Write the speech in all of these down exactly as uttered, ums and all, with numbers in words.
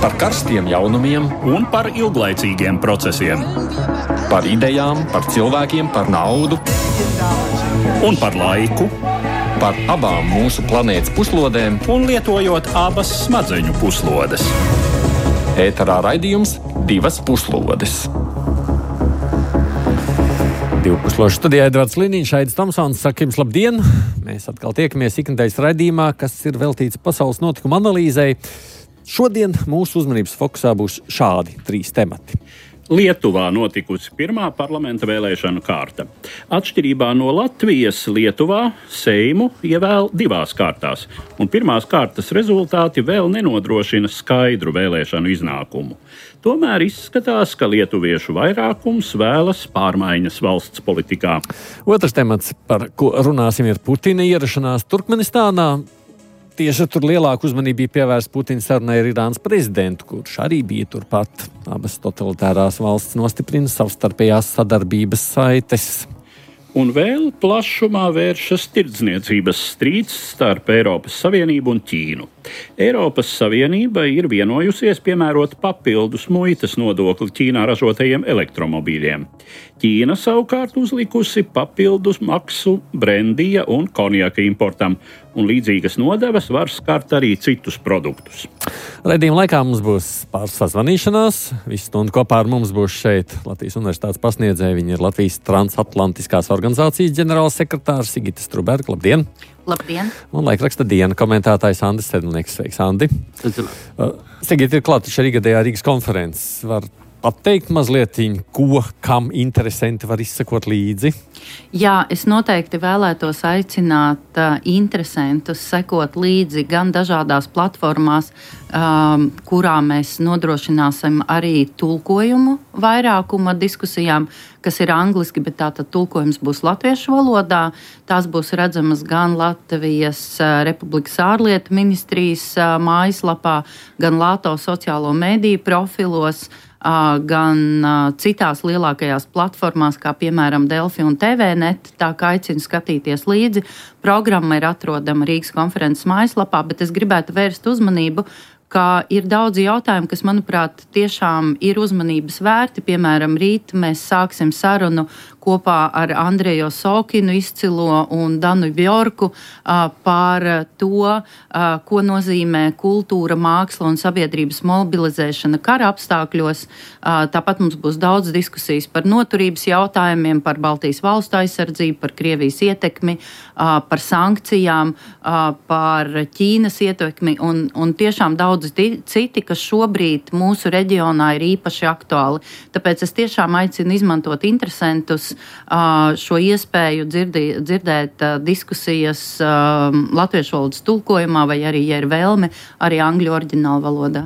Par karstiem jaunumiem un par ilglaicīgiem procesiem. Par idejām, par cilvēkiem, par naudu un par laiku. Par abām mūsu planētas puslodēm un lietojot abas smadzeņu puslodes. Ēterā raidījums Divas puslodes. Divu pusložu studijā Edvards Liniņš, Aidis Tomsons, saka jums labdien! Mēs atkal tiekamies ikdienas raidījumā, kas ir veltīts pasaules notikuma analīzei. Šodien mūsu uzmanības fokusā būs šādi trīs temati. Lietuvā notikusi pirmā parlamenta vēlēšanu kārta. Atšķirībā no Latvijas, Lietuvā Seimu ievēl divās kārtās, un pirmās kārtas rezultāti vēl nenodrošina skaidru vēlēšanu iznākumu. Tomēr izskatās, ka lietuviešu vairākums vēlas pārmaiņas valsts politikā. Otrs temats, par ko runāsim, ir Putina ierašanās Turkmenistānā. Tieši tur lielāku uzmanību bija pievērsta Putina sarunai ar Irānas prezidentu, kurš arī bija turpat. Abas totalitārās valsts nostiprina savstarpējās sadarbības saites. Un vēl plašumā vēršas tirdzniecības strīds starp Eiropas Savienību un Ķīnu. Eiropas Savienība ir vienojusies piemērot papildus muitas nodokli Ķīnā ražotajiem elektromobīļiem. Ķīna savukārt uzlikusi papildus maksu brendija un konjaka importam, un līdzīgas nodevas var skart arī citus produktus. Raidījuma laikā mums būs pāris sazvanīšanās. Visu stundu kopā ar mums būs šeit Latvijas Universitātes pasniedzēja. Viņa ir Latvijas transatlantiskās organizācijas ģenerālsekretārs Sigita Struberga. Labdien! Labdien! Un laikraksta Diena komentētājs Andis Sedlnieks. Sveiks, Andi! Uh, Sigita, ir klāt šī gadējā Rīgas konferences. Var pateikt mazliet, ko, kam interesanti var izsekot līdzi? Jā, es noteikti vēlētos aicināt uh, interesantus sekot līdzi gan dažādās platformās, um, kurā mēs nodrošināsim arī tulkojumu vairākuma diskusijām, kas ir angliski, bet tātad tulkojums būs latviešu valodā. Tās būs redzamas gan Latvijas uh, Republikas ārlietu ministrijas uh, mājaslapā, gan Lāto sociālo mediju profilos, uh, gan uh, citās lielākajās platformās, kā piemēram Delfi un T V net. Tā kā aicinu skatīties līdzi. Programma ir atrodama Rīgas konferences mājaslapā, bet es gribētu vērst uzmanību, ka ir daudzi jautājumi, kas, manuprāt, tiešām ir uzmanības vērti. Piemēram, rīt mēs sāksim sarunu kopā ar Andreju Sokinu izcilo un Danu Bjorku uh, par to, uh, ko nozīmē kultūra, māksla un sabiedrības mobilizēšana kara apstākļos. Uh, tāpat mums būs daudz diskusijas par noturības jautājumiem, par Baltijas valstu aizsardzību, par Krievijas ietekmi, uh, par sankcijām, uh, par Ķīnas ietekmi un, un tiešām daudz citi, kas šobrīd mūsu reģionā ir īpaši aktuāli. Tāpēc es tiešām aicinu izmantot interesantus šo iespēju dzirdi, dzirdēt diskusijas latviešu valodas tulkojumā vai arī, ja ir vēlme, arī angļu oriģināla valodā.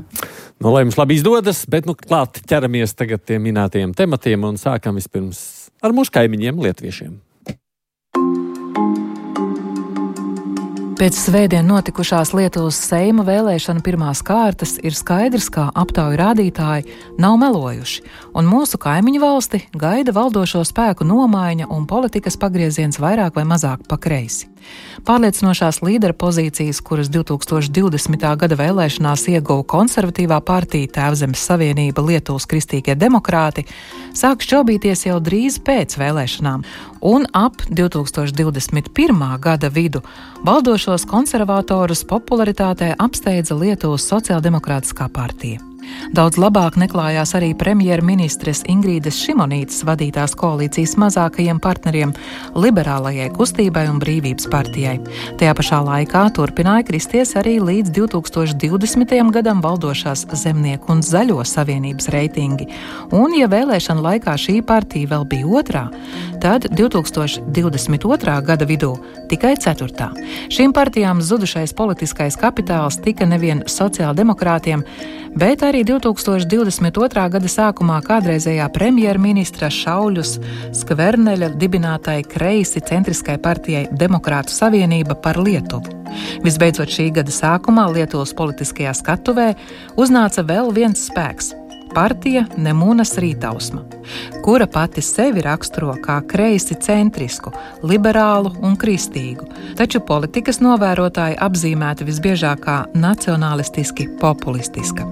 Nu, lai jums labi izdodas, bet nu klāt ķeramies tagad tiem minētajiem tematiem un sākam vispirms ar mūsu kaimiņiem lietuviešiem. Pēc svētdien notikušās Lietuvas Seima vēlēšana pirmās kārtas ir skaidrs, ka aptauju rādītāji nav melojuši, un mūsu kaimiņu valsti gaida valdošo spēku nomaiņa un politikas pagrieziens vairāk vai mazāk pa kreisi. Pārliecinošās līdera pozīcijas, kuras divtūkstoš divdesmitā gada vēlēšanās ieguva konservatīvā partija Tēvzemes Savienība Lietuvas kristīgie demokrāti, sāk šķobīties jau drīz pēc vēlēšanām, un ap divtūkstoš divdesmit pirmā gada vidu valdošos konservatorus popularitātē apsteidza Lietuvas sociāldemokrātiskā partija. Daudz labāk neklājās arī premjerministres Ingrīdes Šimonītes vadītās koalīcijas mazākajiem partneriem liberālajai kustībai un brīvības partijai. Tajā pašā laikā turpināja kristies arī līdz divtūkstoš divdesmitajam gadam valdošās Zemnieku un Zaļo savienības reitingi. Un, ja vēlēšana laikā šī partija vēl bija otrā, tad divtūkstoš divdesmit otrā gada vidū tikai ceturtā. Šīm partijām zudušais politiskais kapitāls tika nevien sociāldemokrātiem, bet arī divtūkstoš divdesmit otrā gada sākumā kādreizējā premjerministra Šauļus Skverneļa dibinātai kreisi centriskai partijai Demokrātu savienība par Lietuvu. Visbeidzot, šī gada sākumā Lietuvas politiskajā skatuvē uznāca vēl viens spēks – partija Nemunas Rītausma, kura pati sevi raksturo kā kreisi centrisku, liberālu un kristīgu, taču politikas novērotāji apzīmēta visbiežāk kā nacionalistiski populistiska.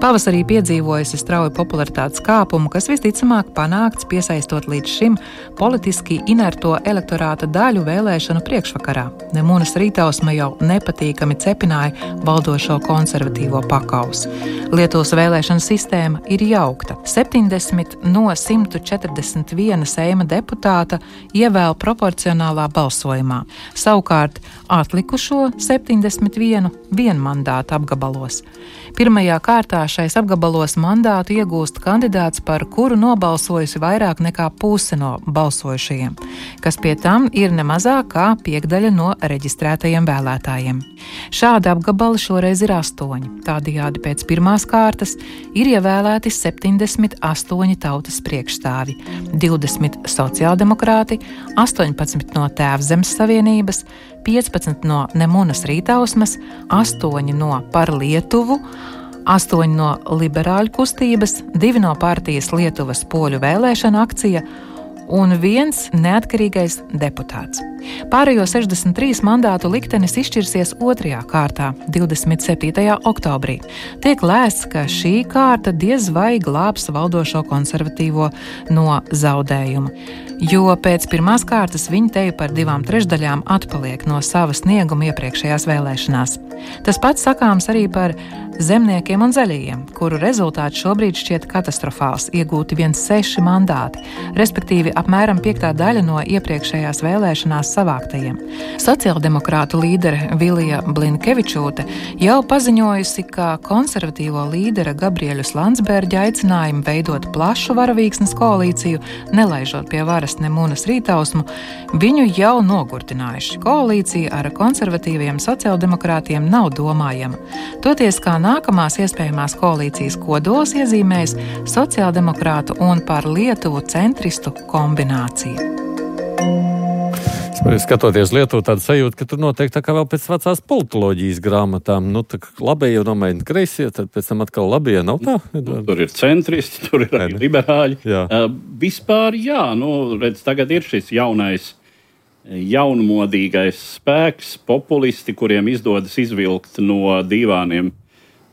Pavasarī piedzīvojusi strauju popularitātes kāpumu, kas visticamāk panākts piesaistot līdz šim politiski inerto elektorāta daļu vēlēšanu priekšvakarā. Nemunas Rītausma jau nepatīkami cepināja valdošo konservatīvo pakausu. Lietuvas vēlēšana sistēma ir jaukta. septiņdesmit no simt četrdesmit viena Seima deputāta ievēl proporcionālā balsojumā. Savukārt atlikušo septiņdesmit vienu vienmandātu apgabalos. Pirmajā kārtā šais apgabalos mandātu iegūst kandidāts, par kuru nobalsojusi vairāk nekā puse no balsojušajiem, kas pie tam ir nemazāk kā piekdaļa no reģistrētajiem vēlētājiem. Šādi apgabali šoreiz ir astoņi. Tādējādi pēc pirmās kārtas ir ievēlēti septiņdesmit astoņi tautas priekšstāvi, divdesmit sociāldemokrāti, astoņpadsmit no Tēvzemes savienības, piecpadsmit no Nemunas Rītausmas, astoņi no Par Lietuvu, astoņi no Liberāļu kustības, divi no partijas Lietuvas poļu vēlēšana akcija un viens neatkarīgais deputāts. Pārējo sešdesmit trīs mandātu liktenis izšķirsies otrajā kārtā, divdesmit septītajā oktobrī. Tiek lēsts, ka šī kārta diez vai glābs valdošo konservatīvo no zaudējuma, jo pēc pirmās kārtas viņi teju par divām trešdaļām atpaliek no sava snieguma iepriekšējās vēlēšanās. Tas pats sakāms arī par zemniekiem un zaļajiem, kuru rezultāts šobrīd šķiet katastrofāls, iegūti viens seši mandāti, respektīvi apmēram piektā daļa no iepriekšējās vēlēšanās savāktajiem. Sociāldemokrātu līdere Vilija Blinkevičūte jau paziņojusi, ka konservatīvo līdera Gabriēļus Landsberģa aicinājumu veidot plašu varavīksnes koalīciju, nelaižot pie varas Nemunas Rītausmu, viņu jau nogurdinājuši. Koalīcija ar konservatīviem sociāldemokrātiem nav domājama. Toties, kā nākamās iespējamās koalīcijas kodols iezīmējas sociāldemokrātu un Par Lietuvu centristu kombinācija. Skatoties Lietuvu, tāda sajūta, ka tur noteikti tā kā vēl pēc vecās politoloģijas grāmatām, nu, tā labējie un nomaini kreisie, tad pēc tam atkal labējie, nav tā? Nu, tur ir centristi, tur ir arī liberāļi. Jā. Uh, vispār, jā, nu, redz, tagad ir šis jaunais, jaunmodīgais spēks, populisti, kuriem izdodas izvilkt no divāniem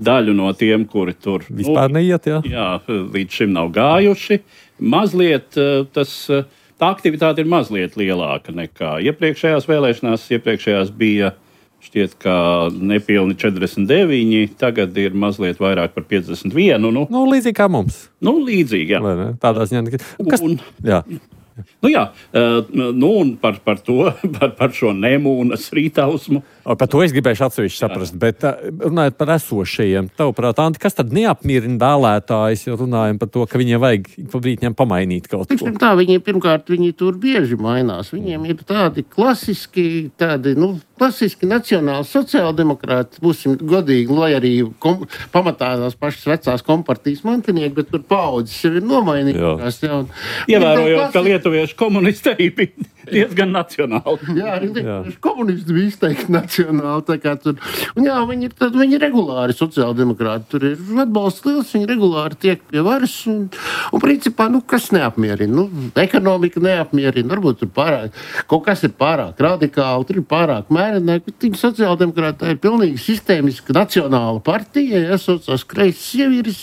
daļu no tiem, kuri tur vispār neiet, jā. Jā, līdz šim nav gājuši. Mazliet tas, tā aktivitāte ir mazliet lielāka nekā iepriekšējās vēlēšanās. Iepriekšējās bija šķiet, ka nepilni četrdesmit deviņi, tagad ir mazliet vairāk par piecdesmit vienu. Nu, nu līdzīgi kā mums. Nu, līdzīgi, jā. Vai ne? Tādā ziņā. Kas... Un, jā. Nu jā, nu un par, par to, par, par šo Nemunas Rītausmu. Par to es gribēšu atsevišķi saprast, bet runājot par esošajiem, tavuprāt, Anti, kas tad neapmierina vēlētājus, jo runājam par to, ka viņiem vajag pa brītņiem pamainīt kaut ko? Tā, viņi, pirmkārt, viņi tur bieži mainās. Viņiem ir tādi klasiski, tādi, nu, klasiski nacionāli sociāldemokrāti, būsim godīgi, lai arī kom, pamatā tās pašas vecās kompartijas mantinieki, bet tur paudzes jau ir nomainījušās. Ievērojot, ka lietuviešu komunisti arī bija diezgan nacionāli. Jā, lietuviešu komunisti bija izteikti nacionāli. Tā kā tur, un jā, viņi ir, tad, viņi ir regulāri sociāldemokrāti. Tur ir atbalsts liels, viņi regulāri tiek pie varas. Un, un principā, nu, kas neapmierina? Nu, ekonomika neapmierina. Varbūt tur pārāk, kaut kas ir pārāk radikāli, tur ir pārāk mērenāk. Bet viņi sociāldemokrāti ir pilnīgi sistēmiska nacionāla partija, ja saucās kreisas sievieris.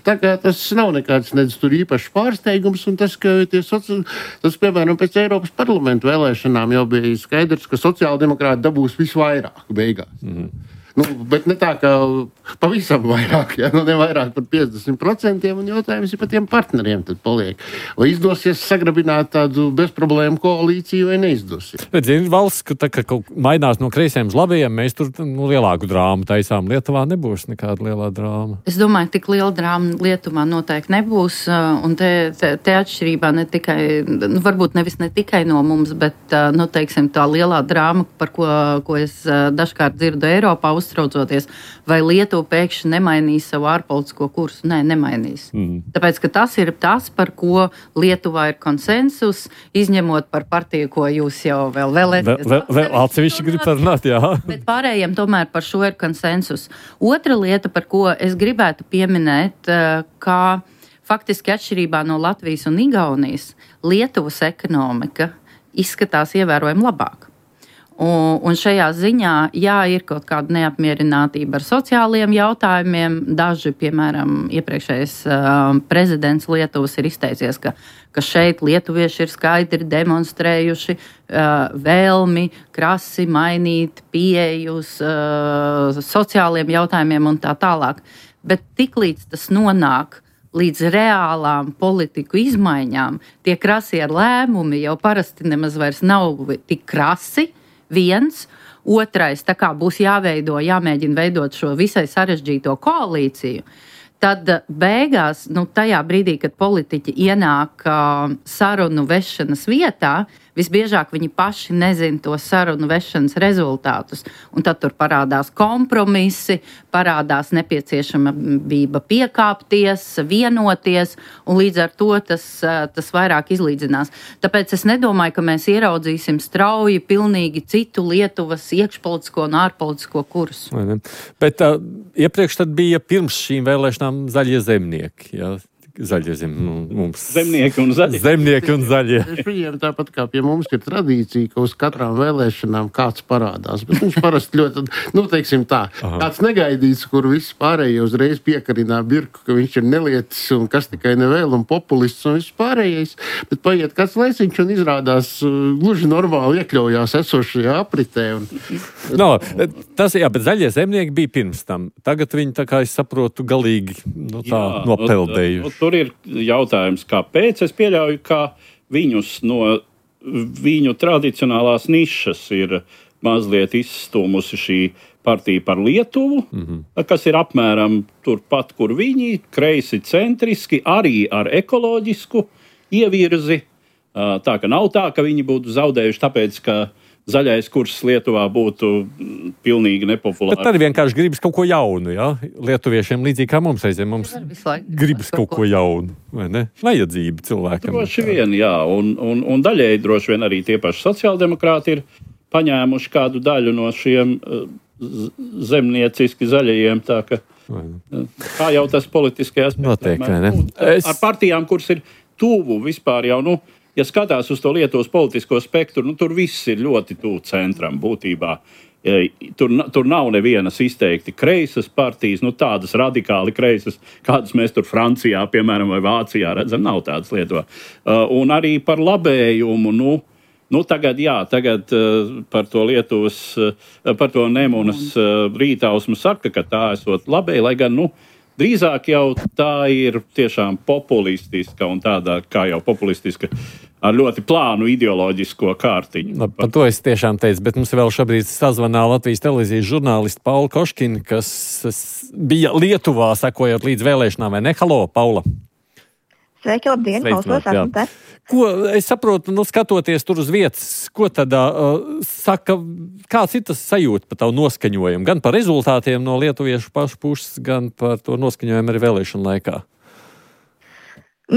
Tā kā tas nav nekāds nedz tur īpašs pārsteigums. Un tas, ka tie soci... tas, piemēram, pēc Eiropas parlamentu vēlēšanām jau bija skaidrs, ka sociāldemokrāti dabūs visvairāk beigās. Mm-hmm. Nu, bet ne tā, ka pavisam vairāk, ja? Nu, ne vairāk par piecdesmit procentiem, un jautājums ir par tiem partneriem tad paliek. Vai izdosies sagrabināt tādu bezproblēmu koalīciju vai neizdosies? Bet, zini, valsts, ka tā, ka kaut mainās no kreisiem uz labajiem, mēs tur nu, lielāku drāmu taisām. Lietuvā nebūs nekāda lielā drāma. Es domāju, tik liela drāma Lietuvā noteikti nebūs, un te, te, te atšķirībā ne tikai, nu, varbūt nevis ne tikai no mums, bet, nu, teiksim, tā lielā drāma, par ko, ko es dažkārt dzirdu Eiropā, uztraucoties, vai Lietuva pēkšņi nemainīs savu ārpolitisko kursu. Nē, nemainīs. Mm. Tāpēc, ka tas ir tas, par ko Lietuvā ir konsensus, izņemot par partiju, ko jūs jau vēl vēlēties. Vēl, vēl atsevišķi grib parunāt, jā. Bet pārējiem tomēr par šo ir konsensus. Otra lieta, par ko es gribētu pieminēt, kā faktiski atšķirībā no Latvijas un Igaunijas, Lietuvas ekonomika izskatās ievērojami labāk. Un, un šajā ziņā, jā, ir kaut kāda neapmierinātība ar sociāliem jautājumiem. Daži, piemēram, iepriekšējais uh, prezidents Lietuvas ir izteicies, ka, ka šeit lietuvieši ir skaidri demonstrējuši uh, vēlmi krasi mainīt pieejus uh, sociāliem jautājumiem un tā tālāk. Bet tiklīdz tas nonāk līdz reālām politiku izmaiņām, tie krasie lēmumi jau parasti nemaz vairs nav tik krasi. Viens, otrais, tā kā būs jāveido, jāmēģina veidot šo visai sarežģīto koalīciju, tad beigās, nu, tajā brīdī, kad politiķi ienāk uh, sarunu vešanas vietā, visbiežāk viņi paši nezina to sarunu vešanas rezultātus. Un tad tur parādās kompromisi, parādās nepieciešamība piekāpties, vienoties, un līdz ar to tas, tas vairāk izlīdzinās. Tāpēc es nedomāju, ka mēs ieraudzīsim strauji pilnīgi citu Lietuvas iekšpolitisko un ārpolitisko kursu. Bet uh, iepriekš tad bija pirms šīm vēlēšanām zaļie zemnieki, jā? Zaļie zem, mums. Zemnieki un zaļie. Zemnieki un zaļie. Viņiem tāpat kā pie mums ir tradīcija, ka uz katrām vēlēšanām kāds parādās. Bet viņš parasti ļoti, nu, teiksim tā, Aha. tāds negaidīts, kur visi pārējie uzreiz piekarinā birku, ka viņš ir nelietis un kas tikai nevēl un populists un viss pārējais. Bet paiet kāds laiciņš un izrādās gluži normāli iekļaujās esošajā apritē. Un... No, tas, jā, bet zaļie zemnieki bija pirms tam. Tagad viņi, tā kā es saprotu, galīgi no tā jā, nopeldējuši. Tur ir jautājums, kāpēc. Es pieļauju, ka viņus no viņu tradicionālās nišas ir mazliet izstūmusi šī partija par Lietuvu, mm-hmm. kas ir apmēram turpat, kur viņi, kreisi centriski, arī ar ekoloģisku ievirzi. Tā ka nav tā, ka viņi būtu zaudējuši tāpēc, ka zaļais kurs Lietuvā būtu pilnīgi nepopulārs. Bet arī vienkārši gribas kaut ko jaunu, jā? Lietuviešiem līdzīgi kā mums aiziem, mums gribas kaut ko jaunu, vai ne? Vajadzība cilvēkam. Droši vien, jā, un, un, un daļēji droši vien arī tie paši sociāldemokrāti ir paņēmuši kādu daļu no šiem zemnieciski zaļajiem, tā ka kā jau tas politiskajās noteikti, vai ne? Es... Ar partijām, kuras ir tuvu vispār jau, nu, ja skatās uz to Lietuvas politisko spektru, nu, tur viss ir ļoti tuvu centram būtībā. Tur, tur nav nevienas izteikti kreisas partijas, nu, tādas radikāli kreisas, kādas mēs tur Francijā, piemēram, vai Vācijā redzam, nav tādas Lietuvā. Un arī par labējumu, nu, nu tagad, jā, tagad par to Lietuvas, par to Nemunas rītausmu saka, ka tā esot labēji, lai gan, nu, drīzāk jau tā ir tiešām populistiska un tādā, kā jau populistiska, ar ļoti plānu ideoloģisko kārtiņu. No, par to es tiešām teicu, bet mums vēl šobrīd sazvanā Latvijas televīzijas žurnālisti Paula Koškina, kas bija Lietuvā sekojot līdz vēlēšanām, vai ne? Halo, Paula! Sveiki, labdien, klausos, esmu te. Ko, es saprotu, nu, skatoties tur uz vietas, ko tad uh, saka, kāds ir tas sajūta par tavu noskaņojumu, gan par rezultātiem no lietuviešu pašu puses, gan par to noskaņojumu arī vēlēšanu laikā?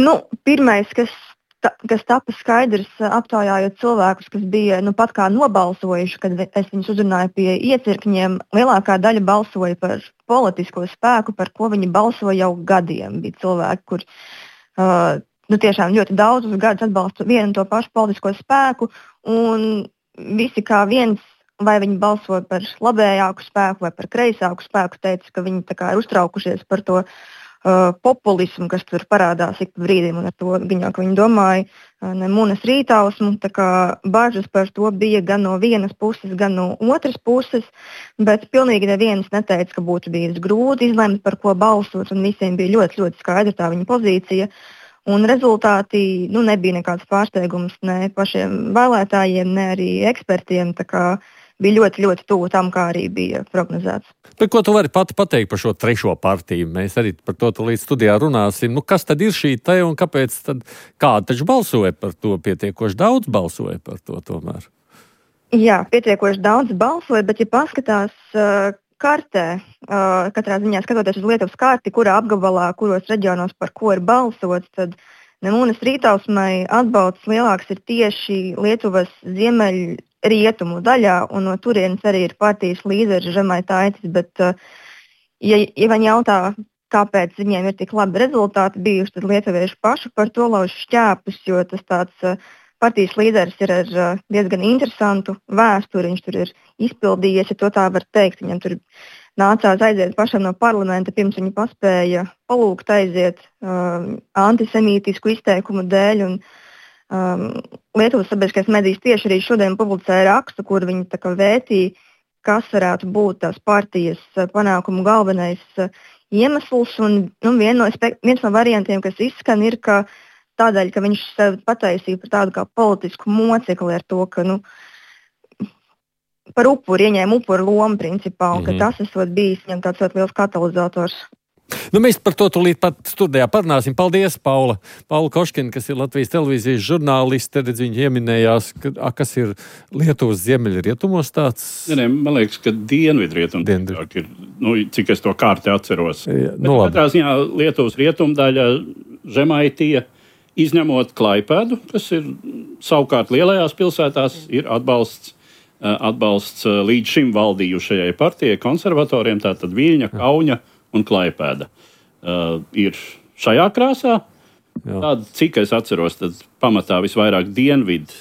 Nu, pirmais, kas, ta, kas tapa skaidrs, aptaujājot cilvēkus, kas bija, nu, pat kā nobalsojuši, kad es viņus uzrunāju pie iecirkņiem, lielākā daļa balsoja par politisko spēku, par ko viņi balsoja jau gadiem. Bija cilvēki, kur uh, nu, tiešām ļoti daudzus gadus atbalsta vienu un to pašu politisko spēku, un visi kā viens, vai viņi balsoja par labējāku spēku vai par kreisāku spēku, teica, ka viņi tā kā ir uztraukušies par to uh, populismu, kas tur parādās ik pa brīdim, un ar to viņa, ka viņi domāja uh, Nemunas rītausmu, tā kā bažas par to bija gan no vienas puses, gan no otras puses, bet pilnīgi neviens neteica, ka būtu bijis grūti izlemt, par ko balsot, un visiem bija ļoti, ļoti skaidra tā viņa pozīcija. Un rezultāti, nu, nebija nekāds pārsteigums ne pašiem vēlētājiem, ne arī ekspertiem. Tā kā bija ļoti, ļoti tuvu tam, kā arī bija prognozēts. Bet ko tu vari pati pateikt par šo trešo partiju? Mēs arī par to līdz studijā runāsim. Nu, kas tad ir šī te un kāpēc tad kāda taču balsoja par to? Pietiekoši daudz balsoja par to tomēr. Jā, pietiekoši daudz balsoja, bet ja paskatās uh, kartē, uh, katrā ziņā skatoties uz Lietuvas karti, kurā apgabalā, kuros reģionos par ko ir balsots, tad Nemunas rītausmai atbalsts lielāks ir tieši Lietuvas ziemeļu rietumu daļā, un no turienes arī ir partijas līderis Žemaitaitis, bet, uh, ja, ja man jautā, kāpēc viņiem ir tik labi rezultāti bijuši, tad lietuvieši paši par to lauž šķēpus, jo tas tāds uh, partijas līderis ir ar uh, diezgan interesantu vēsturi. Viņš tur ir izpildījies, ja to tā var teikt. Viņam tur nācās aiziet pašam no parlamenta, pirms viņa paspēja palūgt aiziet uh, antisemītisku izteikumu dēļ. Un, um, Lietuvas sabiedriskais medijs tieši arī šodien publicēja rakstu, kur viņi tā kā vētīja, kas varētu būt tās partijas panākumu galvenais uh, iemesls. Un, nu, vien no, viens no variantiem, kas izskan, ir, ka tādēļ, ka viņš sevi pataisīja par tādu kā politisku mocekli ar to, ka nu, par upuri ieņēma upuru lomu principā, un mm-hmm. ka tas esot bijis viņam tāds ļoti liels katalizators. Nu, mēs par to tūlīt pat studijā parunāsim. Paldies, Paula. Paula Koškina, kas ir Latvijas televīzijas žurnāliste, redz, viņa ieminējās, ka, a, kas ir Lietuvas ziemeļrietumos tāds? Ne, ne, man liekas, ka dienvidrietum ir, nu, cik es to kārti atceros. Jā, Bet nu, katrā ziņā Lietuvas rietumdaļa Žemaitija, izņemot Klaipēdu, kas ir savukārt lielajās pilsētās, ir atbalsts, atbalsts līdz šim valdījušajai partijai, konservatoriem, tātad Viļņa, Kauņa un Klaipēda. Uh, ir šajā krāsā. Tāda, cik es atceros, tad pamatā visvairāk dienvidu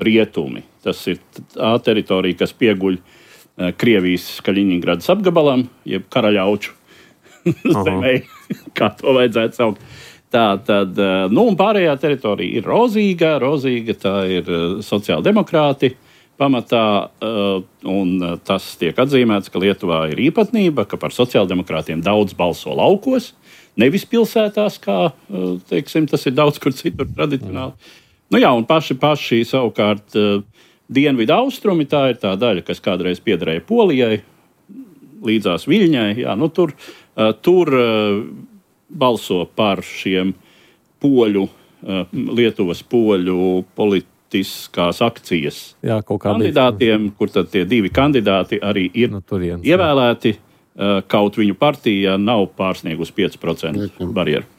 rietumi. Tas ir tā teritorija, kas pieguļ uh, Krievijas Kaļiņingradas apgabalam, jeb Karaļauču zemē, kā to vajadzētu saukt. Tā tad, nu, un pārējā teritorija ir rozīga, rozīga, tā ir sociāldemokrāti pamatā, un tas tiek atzīmēts, ka Lietuvā ir īpatnība, ka par sociāldemokrātiem daudz balso laukos, nevis pilsētās, kā, teiksim, tas ir daudz kur citur tradicionāli. Nu jā, un paši, paši savukārt dienvidu austrumi, tā ir tā daļa, kas kādreiz piederēja Polijai, līdzās Viļņai, jā, nu tur, tur balso par šiem poļu, Lietuvas poļu politiskās akcijas Jā, kandidātiem, kur tad tie divi kandidāti arī ir no turienes, ievēlēti, kaut viņu partija nav pārsniegusi pieci procenti barjeru.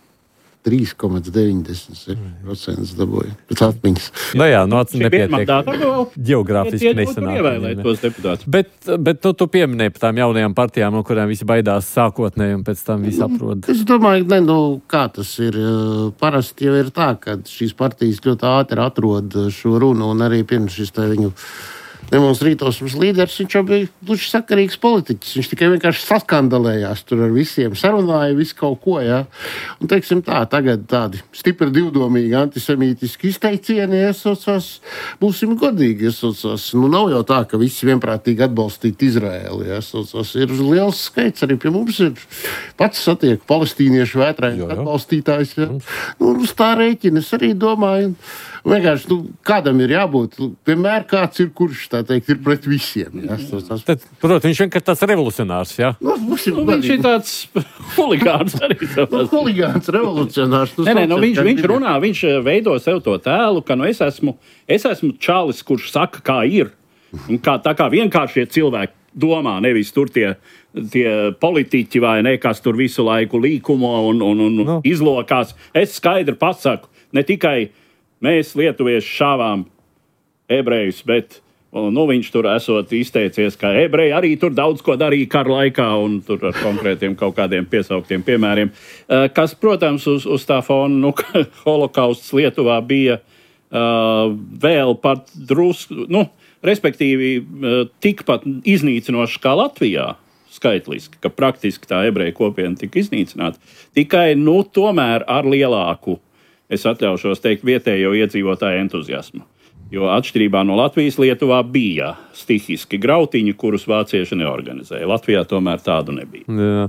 trīs komats deviņdesmit seši procenti dabūja pēc atmiņas. Nu jā, no atmiņas nepietiek. Mandāta vēl Geogrāfiski nesanāk. Ievēlēt tos deputātus. Bet, bet tu, tu pieminēji par tām jaunajām partijām, no kurām visi baidās sākotnēji un pēc tam visi aprod. Es domāju, ne, nu, kā tas ir. Parasti jau ir tā, ka šīs partijas ļoti ātri atrod šo runu, un arī pirms šis tā viņu demonstrītosums līderis, viņš jau bija gluži sakarīgs politiķis. Viņš tikai vienkārši saskandalējās tur ar visiem, sarunāja visu kaut ko, jā. Un, teiksim tā, tagad tādi stipri divdomīgi antisemītiski izteicieni iesaucās, būsim godīgi iesaucās. Nu, nav jau tā, ka visi vienprātīgi atbalstīt Izraēlu, iesaucās. Ir liels skaits, arī pie mums ir pats satiek palestīniešu vētrēju atbalstītājs, jā. Nu, uz tā rēķina es arī domāju. Vienkārši, nu, kādam ir jābūt, vienmēr kāds ir, kurš, tā teikt, ir pret visiem. Jā, Tad, protams, viņš vienkārši tāds revolucionārs, jā? Nu, būsim, Nu, viņš ir tāds huligāns arī. nu, huligāns, revolucionārs. Nu, Nē, nē, nu, sauciet, viņš, kā viņš gribēt. runā, viņš veido sev to tēlu, ka nu, es, esmu, es esmu čalis, kurš saka, kā ir. Un kā, tā kā vienkāršie cilvēki domā, nevis tur tie, tie politiķi vai ne, kas tur visu laiku līkumo un, un, un Nu. izlokās. Es skaidri pasaku, ne tikai mēs lietuvieši šāvām ebrejus, bet nu, viņš tur esot izteicies, ka ebreji arī tur daudz ko darīja kara laikā un tur ar konkrētiem kaut kādiem piesauktiem piemēriem. Kas, protams, uz, uz tā fona, nu, ka holokausts Lietuvā bija uh, vēl pat drusku, nu, respektīvi uh, tikpat iznīcinošs kā Latvijā. Skaitliski, ka praktiski tā ebreju kopiena tika iznīcināta. Tikai, nu, tomēr ar lielāku, es atļaušos teikt, vietējo iedzīvotāju entuziasmu. Jo atšķirībā no Latvijas, Lietuvā bija stihiski grautiņi, kurus vācieši neorganizēja. Latvijā tomēr tādu nebija. Jā.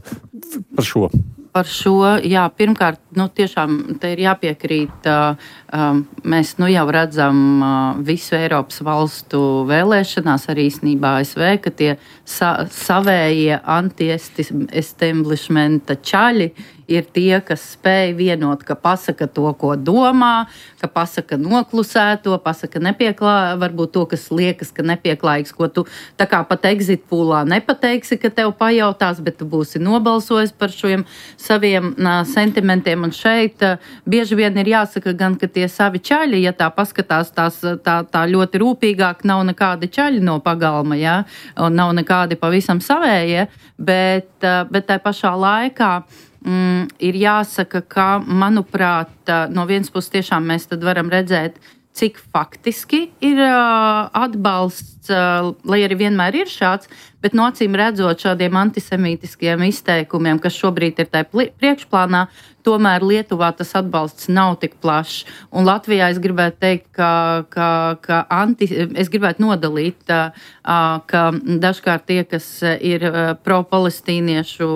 Par šo. Par šo, jā, pirmkārt, nu, tiešām te ir jāpiekrīt. Uh, um, mēs nu jau redzam uh, visu Eiropas valstu vēlēšanās, arī īstenībā A S V, ka tie sa savējie anti-establishmenta čaļi ir tie, kas spēj vienot, ka pasaka to, ko domā, ka pasaka noklusēto, pasaka nepieklā, varbūt to, kas liekas, ka nepieklājīgs, ko tu tā kā pat exit poolā nepateiksi, ka tev pajautās, bet tu būsi nobalsojis par šiem saviem uh, sentimentiem. Un šeit uh, bieži vien ir jāsaka gan, ka tie savi čaļi, ja tā paskatās tās, tā, tā ļoti rūpīgāk, nav nekādi čaļi no pagalma, ja? Un nav nekādi pavisam savējie, bet, uh, bet tā pašā laikā Mm, ir jāsaka, ka, manuprāt, no vienas puses tiešām mēs tad varam redzēt cik faktiski ir uh, atbalsts, uh, lai arī vienmēr ir šāds, bet no acīm redzot šādiem antisemītiskiem izteikumiem, kas šobrīd ir tajā priekšplānā, tomēr Lietuvā tas atbalsts nav tik plašs. Un Latvijā es gribētu teikt, ka, ka, ka anti, es gribētu nodalīt, ka dažkārt tie, kas ir pro-palestīniešu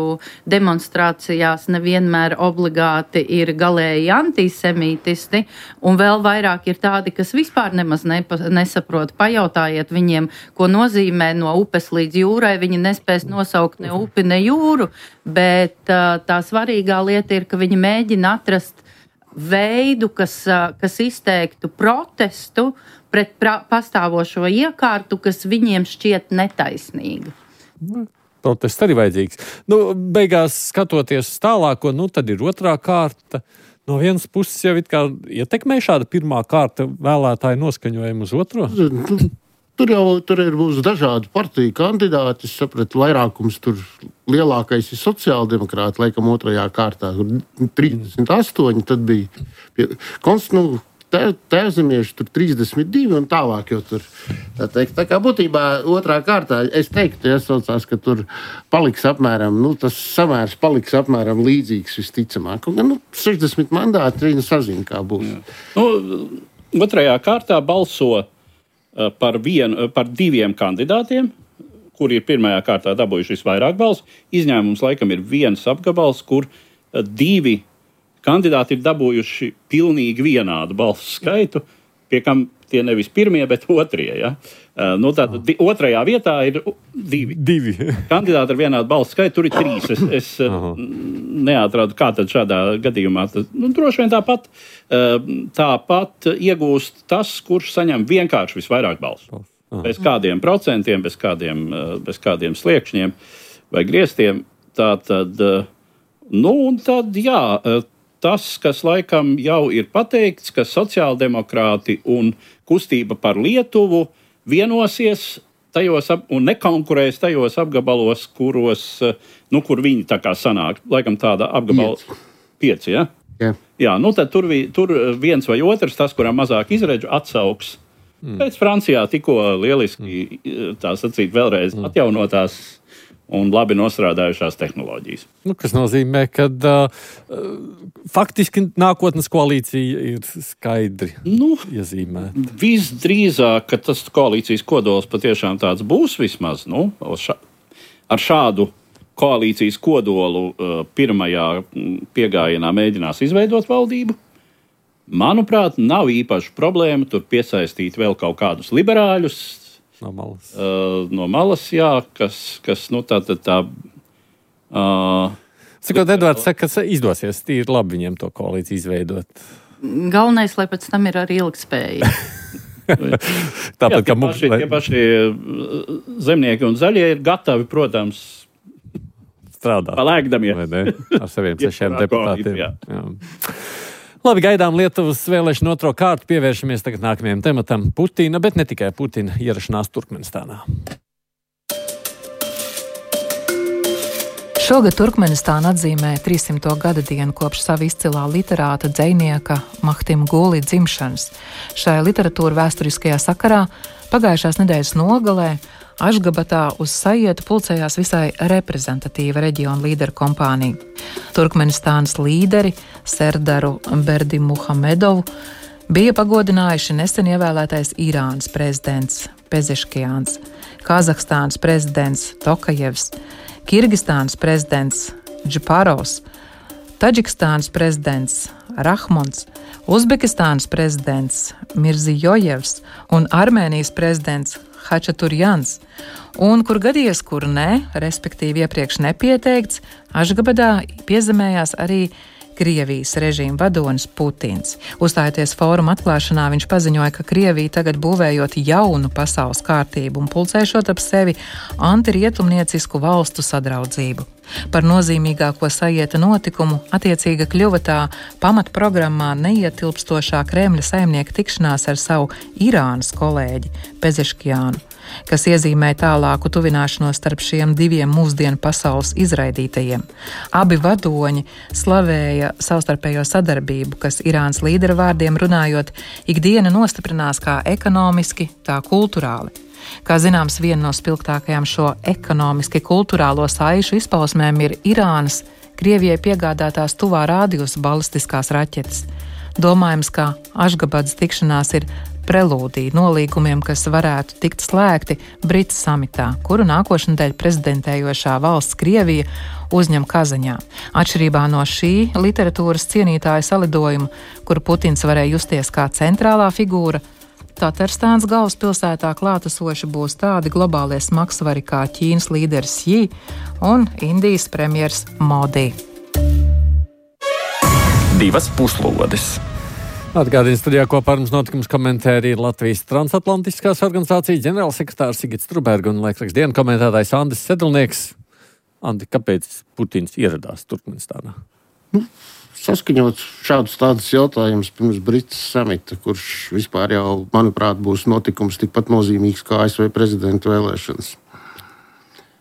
demonstrācijās, nevienmēr obligāti ir galēji antisemītisti, un vēl vairāk ir tādi, kas vispār nemaz nepa, nesaprot. Pajautājiet viņiem, ko nozīmē no upes līdz jūrai, viņi nespēs nosaukt ne upi, ne jūru, bet tā svarīgā lieta ir, ka viņi mēģina atrast veidu, kas, kas izteiktu protestu pret pra, pastāvošo iekārtu, kas viņiem šķiet netaisnīga. Protests arī vajadzīgs. Nu, beigās skatoties tālāko, nu tad ir otrā kārta. No vienas puses jau it kā ietekmē šāda pirmā kārta vēlētāju noskaņojumu uz otro? Tur jau tur ir būs dažādi partiju kandidāti. Es sapratu, vairākums tur lielākais ir sociāldemokrāti, laikam otrajā kārtā. trīsdesmit astoņi, tad bija pie, konst, nu, te, tēvzemieši tur trīsdesmit divi un tālāk jau tur. Tā, teikt, tā kā būtībā otrā kārtā, es teiktu, iesaucās, ka tur paliks apmēram, nu, tas samērs paliks apmēram līdzīgs visticamāk. Un, nu, sešdesmit mandāti viņi sazina, kā būs. Nu, otrajā kārtā balso Par, vienu, par diviem kandidātiem, kuri ir pirmajā kārtā dabūjuši visvairāk balsu. Izņēmums laikam ir viens apgabals, kur divi kandidāti ir dabūjuši pilnīgi vienādu balsu skaitu, pie kam tie nevis pirmie, bet otrie. Ja? Nu, tātad di, otrajā vietā ir divi. divi. Kandidāti ar vienādu balsu skaitu, tur ir trīs. Es, es neatradu, kā tad šādā gadījumā. Tas, nu, droši vien tāpat, tāpat iegūst tas, kurš saņem vienkārši visvairāk balsu. Aha. Bez kādiem procentiem, bez kādiem, bez kādiem sliekšņiem vai griestiem. Tātad, nu, un tad, jā, tas, kas laikam jau ir pateikts, ka sociāldemokrāti un kustība par Lietuvu vienosies tajos ap, un nekonkurēs tajos apgabalos, kuros, nu, kur viņi tā kā sanāk. Laikam tāda apgabala pieci, ja? Jā. Jā, nu tad tur, vi, tur viens vai otrs, tas, kuram mazāk izredzu, atsauks. Mm. Pēc Francijā tikko lieliski, tā sacīt, vēlreiz mm. atjaunotās un labi nostrādājušās tehnoloģijas. Nu, kas nozīmē, ka uh, faktiski nākotnes koalīcija ir skaidri nu, iezīmēta. Visdrīzāk, ka tas koalīcijas kodols patiešām tāds būs vismaz. Nu, ša, ar šādu koalīcijas kodolu uh, pirmajā piegājienā mēģinās izveidot valdību. Manuprāt, nav īpaši problēma tur piesaistīt vēl kaut kādus liberāļus, No malas. Uh, no malas, jā, kas, kas nu tā tad tā... Uh, Cikot, Edvards saka, ka izdosies tīri labi viņiem to koalīciju izveidot. Galvenais, lai pēc tam ir arī ilgspēja. Tāpat, jā, tie, mums, paši, lai... tie paši zemnieki un zaļie ir gatavi, protams, strādāt. Palēkdamie. Ar saviem sešiem deputātiem. Jā. Jā. Labi, gaidām Lietuvas vēlēšanu otro kārtu, pievēršamies tagad nākamajam tematam - Putina, bet ne tikai Putina ierašanās Turkmenistānā. Šogad Turkmenistāna atzīmē trīssimto gada dienu kopš sava izcilā literāta dzejnieka Mahtima Guli dzimšanas. Šajā literatūra vēsturiskajā sakarā pagājušās nedēļas nogalē Ašgabatā uz sajietu pulcējās visai reprezentatīva reģiona līderu kompānija. Turkmenistānas līderi Serdaru Berdimuhamedovu bija pagodinājuši nesen ievēlētais Irānas prezidents Pezeškians, Kazahstānas prezidents Tokajevs, Kirgistānas prezidents Džiparovs, Taģikstānas prezidents Rahmons, Uzbekistānas prezidents Mirzijojevs un Armēnijas prezidents Hačaturjans, un kur gadies, kur nē, respektīvi iepriekš nepieteikts, Ašgabadā piezemējās arī Krievijas režīma vadonis Putins. Uzstājoties fóruma atklāšanā, viņš paziņoja, ka Krievija tagad būvējot jaunu pasaules kārtību un pulcēšot ap sevi antirietumniecisku valstu sadraudzību. Par nozīmīgāko sajieta notikumu attiecīga kļuva tā pamatprogrammā neietilpstošā Kremļa saimnieka tikšanās ar savu Irānas kolēģi Pezeškiānu. kas iezīmē tālāku tuvināšanos starp šiem diviem mūsdienu pasaules izraidītajiem. Abi vadoņi slavēja savstarpējo sadarbību, kas Irānas līdera vārdiem runājot, ikdiena nostiprinās kā ekonomiski, tā kulturāli. Kā zināms, viena no spilgtākajām šo ekonomiski kulturālo saišu izpausmēm ir Irānas Krievijai piegādātās tuvā rādījusa balistiskās raķetes. Domājams, ka Ašgabadas tikšanās ir prelūdija nolīgumiem, kas varētu tikt slēgti Britu samitā, kuru nākošnedēļ prezidentējošā valsts Krievija uzņem Kazaņā. Atšķirībā no šī literatūras cienītāja salidojuma, kuru Putins varēja justies kā centrālā figūra, Tatarstānas galvaspilsētā klātesoši būs tādi globālie smagsvari kā Ķīnas līderis Xi un Indijas premjers Modi. Divas puslodes. Atgādījums studijā kopā ar mums notikums komentēri ir Latvijas transatlantiskās organizācijas ģenerālsekretārs Sigits Truberga un laikraksta dienu komentētājs Andris Sedlnieks. Andi, kāpēc Putins ieradās Turkmenistānā? Nu, saskaņot šādus tādus jautājumus pirms Britas samita, kurš vispār jau, manuprāt, būs notikums tikpat nozīmīgs kā A S V prezidenta vēlēšanas.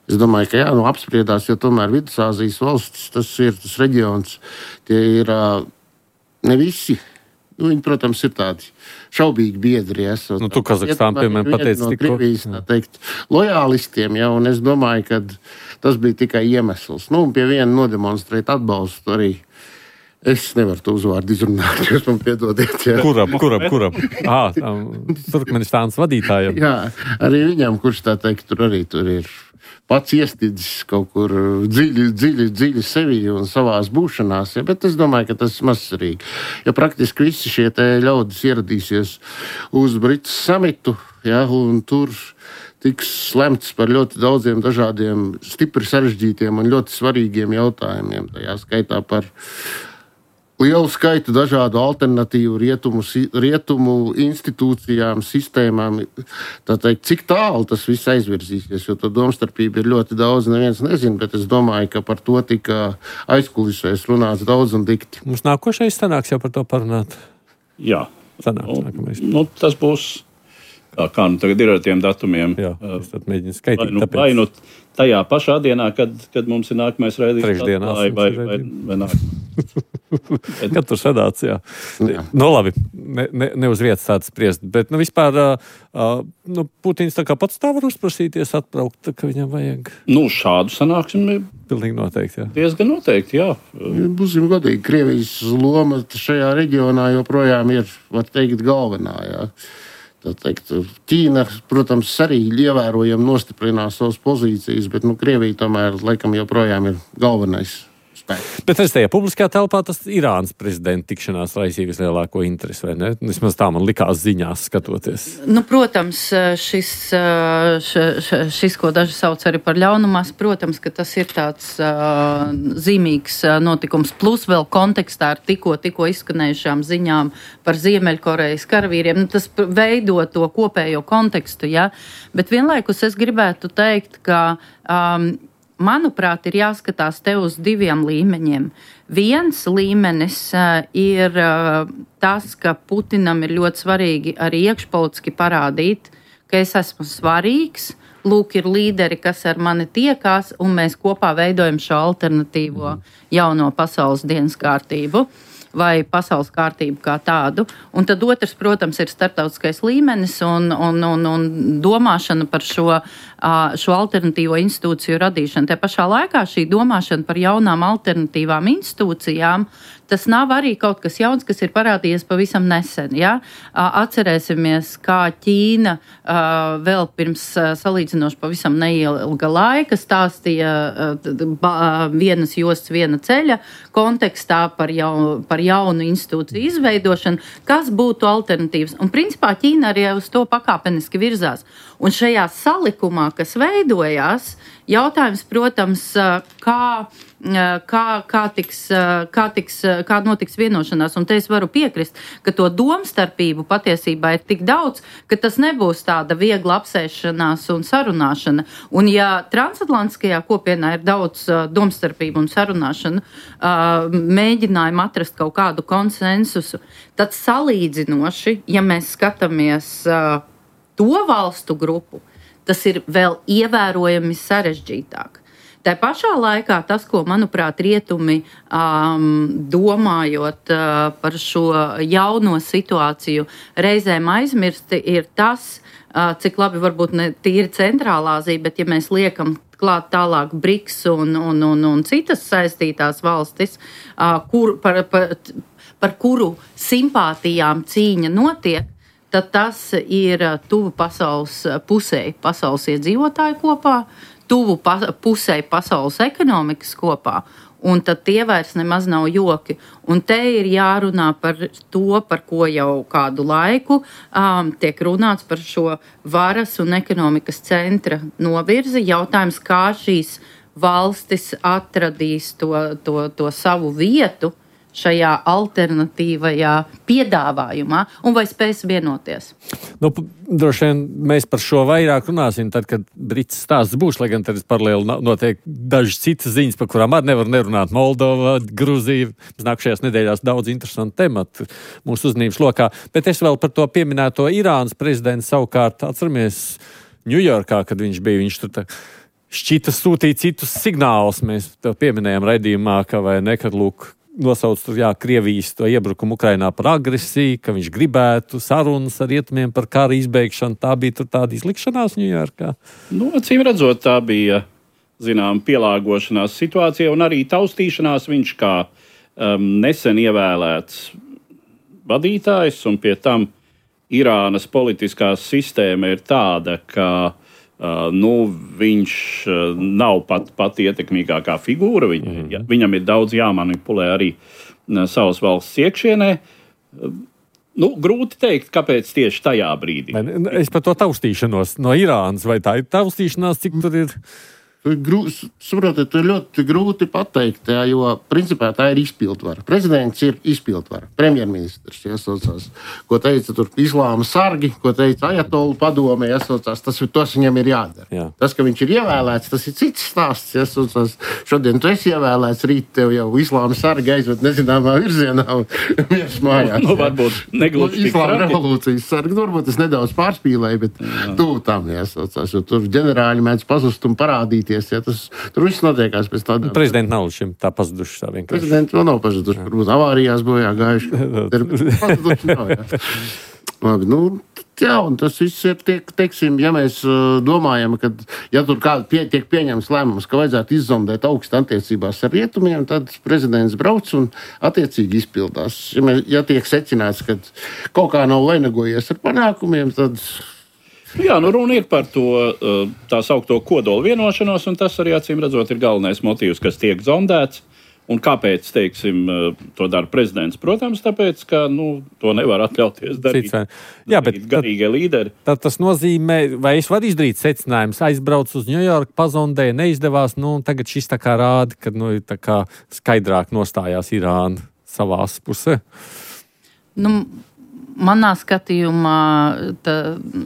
Es domāju, ka jā, nu apspriedās, jo tomēr Vidusāzijas valstis, tas ir tas reģions, tie ir ne visi. Nu, viņi, protams, ir tādi šaubīgi biedri. Esot, nu, tu Kazahstānu, piemēram, pateici no tikko. Krievijas, tā teikt, lojālistiem, ja, un es domāju, ka tas bija tikai iemesls. Nu, un pie viena nodemonstrēt atbalstu arī. Es nevaru to uzvārdu izrunāt, jūs man piedodiet. Jā. Kuram, kuram, kuram? Ā, Turkmenistānas vadītājiem. Jā, arī viņam, kurš tā teikt, tur arī tur ir pats iestidzis kaut kur dziļi, dziļi, dziļi sevi un savās būšanās, ja, bet es domāju, ka tas ir mazsvarīgi. Ja praktiski visi šie te ļaudis ieradīsies uz Britas samitu, ja, un tur tiks lemts par ļoti daudziem dažādiem stipri sarežģītiem un ļoti svarīgiem jautājumiem, tajā skaitā par lielu skaitu dažādu alternatīvu rietumu, rietumu institūcijām, sistēmām. Tā teikt, cik tālu tas viss aizvirzīsies, jo to domstarpība ir ļoti daudz, neviens nezina, bet es domāju, ka par to tika aizkulisēs runāts daudz un dikti. Mums nākošais sanāks jau par to parunāt. Jā. Sanāks nu, nākamais. Nu, tas būs, kā, kā nu tagad ir ar tiem datumiem. Jā, es tad mēģinu skaitīt. Vai nu, tāpēc... vai nu tajā pašā dienā, kad, kad mums ir nākamais raidījums. Trešdienās. Vai, vai, vai, vai nākamais. Kad tur sadāts, jā. jā. Nu, labi, ne, ne, ne uz vietas tāds spriest, bet, nu, vispār, uh, nu, Putins tā kā pats tā var uzprasīties atbraukt, tā, ka viņam vajag. Nu, šādu sanāksmi pilnīgi noteikti, jā. Diezgan noteikti, jā. Būsim godīgi, Krievijas loma šajā reģionā joprojām ir, var teikt, galvenā, jā. Tā teikt, Ķīna, protams, arī ievērojami nostiprinās savas pozīcijas, bet, nu, Krievija tomēr, laikam, joprojām ir galvenais. Bet es tajā publiskajā telpā tas Irānas prezidenta tikšanās raisīja vislielāko interesi, vai ne? Vismaz tā man likās ziņās skatoties. Nu, protams, šis, šis, šis, ko daži sauc arī par ļaunumās, protams, ka tas ir tāds uh, zīmīgs notikums. Plus vēl kontekstā ar tikko, tikko izskanējušām ziņām par Ziemeļkorejas karavīriem. Nu, tas veido to kopējo kontekstu, ja? Bet vienlaikus es gribētu teikt, ka um, manuprāt, ir jāskatās te uz diviem līmeņiem. Viens līmenis uh, ir uh, tas, ka Putinam ir ļoti svarīgi arī iekšpolitiski parādīt, ka es esmu svarīgs, lūk, ir līderi, kas ar mani tiekās, un mēs kopā veidojam šo alternatīvo jauno pasaules dienas kārtību vai pasaules kārtību kā tādu. Un tad otrs, protams, ir starptautiskais līmenis un, un, un, un domāšana par šo, šo alternatīvo institūciju radīšanu. Te pašā laikā šī domāšana par jaunām alternatīvām institūcijām, tas nav arī kaut kas jauns, kas ir parādījies pavisam nesen. Ja? Atcerēsimies, kā Ķīna vēl pirms salīdzinoši pavisam neilga laika stāstīja vienas jostas, viena ceļa kontekstā par, jau, par jaunu institūciju izveidošanu, kas būtu alternatīvas. Un principā Ķīna arī uz to pakāpeniski virzās. Un šajā salikumā, kas veidojās, jautājums, protams, kā, kā, kā, tiks, kā, tiks, kā notiks vienošanās. Un te es varu piekrist, ka to domstarpību patiesībā ir tik daudz, ka tas nebūs tāda viegla apsēšanās un sarunāšana. Un ja transatlantiskajā kopienā ir daudz domstarpību un sarunāšana, mēģinājumu atrast kaut kādu konsensusu, tad salīdzinoši, ja mēs skatāmies to valstu grupu, tas ir vēl ievērojami sarežģītāk. Tā pašā laikā tas, ko, manuprāt, rietumi um, domājot uh, par šo jauno situāciju, reizēm aizmirsti, ir tas, uh, cik labi varbūt ne tīri centrālā Āzija, bet ja mēs liekam klāt tālāk BRICS un, un, un, un citas saistītās valstis, uh, kur, par, par, par kuru simpātijām cīņa notiek, tad tas ir tuvu pasaules pusē, pasaules iedzīvotāju kopā, tuvu pa, pusē pasaules ekonomikas kopā, un tad tie vairs nemaz nav joki. Un te ir jārunā par to, par ko jau kādu laiku um, tiek runāts par šo varas un ekonomikas centra novirzi. Jautājums, kā šīs valstis atradīs to, to, to savu vietu šajā alternatīvajā piedāvājumā, un vai spēs vienoties? Nu, droši vien mēs par šo vairāk runāsim, tad, kad Brits stāsts būs, lai gan tad paralēli notiek dažas citas ziņas, par kurām arī nevar nerunāt. Moldova, Gruzija, nākšajās nedēļās daudz interesantu tematu mūsu uzmanības lokā. Bet es vēl par to pieminēto Irānas prezidentu savukārt atceramies Ņujorkā, kad viņš bija, viņš tur tā šķita sūtīt citus signālus. Mēs tev pieminējām raidījumā, ka vai ne, kad lūk, nosauc tur, jā, Krievijas to iebrukumu Ukrainā par agresiju, ka viņš gribētu sarunas ar rietumiem par kara izbeigšanu. Tā bija tur tāda izlikšanās Ņujorkā? Nu, acīm redzot, tā bija, zinām, pielāgošanās situācija un arī taustīšanās. Viņš kā um, nesen ievēlēts vadītājs, un pie tam Irānas politiskā sistēma ir tāda, ka Uh, nu, viņš uh, nav pat, pat ietekmīgākā figūra. Viņ, mm. ja, viņam ir daudz jāmanipulē arī uh, savas valsts iekšienē. Uh, nu, grūti teikt, kāpēc tieši tajā brīdī. Es par to taustīšanos no Irānas, vai tā ir taustīšanās, cik tur ir? Saprotiet, ir ļoti grūti pateikt, jā, jo principā tā ir izpildvara. Prezidents ir izpildvara, premjerministrs, jāsaucās, ko teica tur islāma sargi, ko teica ajatolu padome, jāsaucās, tas, tas viņam ir jādara. Jā. Tas, ka viņš ir ievēlēts, tas ir cits stāsts, jāsaucās, šodien tu esi ievēlēts, rīt tev jau islāma sargi aizved nezināmā virzienā un viens mājās. Nu, varbūt negluži islāma revolūcijas sargi, varbūt es nedaudz pārspīlēju, bet tuvu tam jāsaucās, jo tur ģenerāļi mēdz pazust un parādīties. Ja, tas, tur viss notiekās pēc tādām. Prezidenti nav šim tā pazuduši tā vienkārši. Prezidenti vēl nav pazuduši, varbūt avārijās bojā gājuši. Pazuduši nav, jā. Labi, nu, jā, un tas viss ir, tiek, teiksim, ja mēs uh, domājam, ka, ja tur kāda pie, tiek pieņems lēmums, ka vajadzētu izzondēt augstu attiecībās ar rietumiem, tad prezidents brauc un attiecīgi izpildās. Ja, mēs, ja tiek secināts, ka kaut kā nav vainagojies ar panākumiem, tad... Jā, nu runa ir par to tā saukto kodolu vienošanos, un tas arī, acīm redzot, ir galvenais motīvs, kas tiek zondēts. Un kāpēc, teiksim, to dara prezidents? Protams, tāpēc, ka, nu, to nevar atļauties darīt. Jā, bet garīgie līderi. Tad tas nozīmē, vai es varu izdarīt secinājumus, aizbrauc uz Ņujorku, pazondēja, neizdevās, nu, un tagad šis tā kā rāda, ka, nu, tā kā skaidrāk nostājās Irāna savās pusē. Nu, manā skatījumā, tā,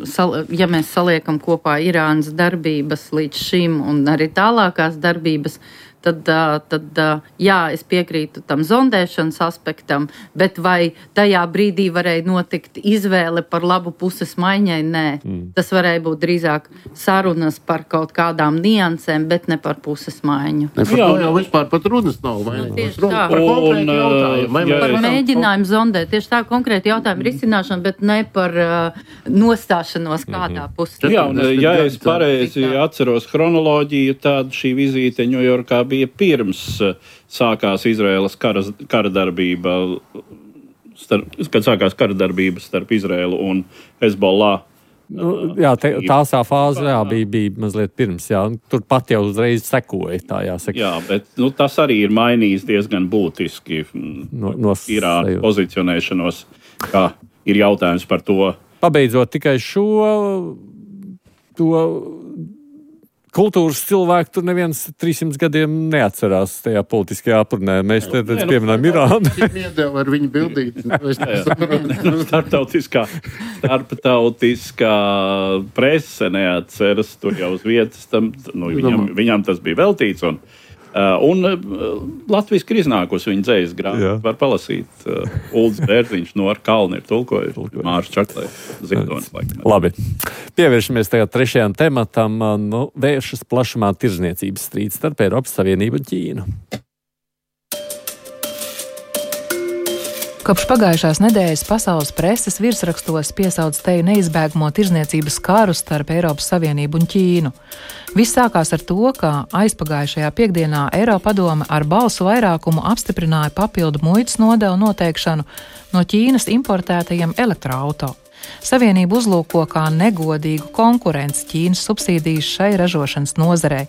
sal, ja mēs saliekam kopā Irānas darbības līdz šim un arī tālākās darbības, tad, tad jā, es piekrītu tam zondēšanas aspektam, bet vai tajā brīdī varēja notikt izvēle par labu puses maiņai? Nē. Mm. Tas varēja būt drīzāk sarunas par kaut kādām niansēm, bet ne par puses maiņu. Ne, par jā, to jau vispār pat runas nav. Vai? Tieši tā. Par konkrētu jautājumu. Jā, par mēģinājumu zondēt. Tieši tā konkrēti jautājumu risināšanu, bet ne par uh, nostāšanos kādā mm-hmm. pusē. Jā, un ja es pareizi atceros chronoloģiju, tad šī vizīte Ņujorkā bija pirms sākās Izraēlas kara, kara darbība, starp, kad sākās kara darbība starp Izraēlu un Hezbollah. Nu, jā, te, tāsā fāze jā, bija, bija mazliet pirms, jā, tur pat jau uzreiz sekoja, tā jāsaka. Jā, bet nu, tas arī ir mainījis diezgan būtiski no, no Irānas pozicionēšanos, kā ir jautājums par to. Pabeidzot tikai šo, to kultūras cilvēku tur neviens trīssimts gadiem neatcerās tajā politiskajā apurnē. Mēs te redz pieminām Irānu. Iedeva ar viņu bildīt. Starptautiskā, starptautiskā prese neatceras tur jau uz vietas. Tam, nu, viņam, viņam tas bija veltīts un Uh, un uh, Latvijas ir iznākusi viņa dzējas grāmata. Var palasīt. Uh, Uldis Bērziņš no ar kalni ir tulkojis. Mārs Čaklē. Zigdonis laikam. Labi. Pievēršamies tagad trešajam tematam. Nu, vēršas plašumā tirdzniecības strīds starp Eiropas Savienību un Ķīnu. Kopš pagājušās nedēļas pasaules preses virsrakstos piesauc teju neizbēgamo tirdzniecības karu starp Eiropas Savienību un Ķīnu. Viss sākās ar to, ka aizpagājušajā piekdienā Eiropadome ar balsu vairākumu apstiprināja papildu muitas nodevu noteikšanu no Ķīnas importētajiem elektroauto. Savienība uzlūko kā negodīgu konkurenci Ķīnas subsīdijas šai ražošanas nozarei,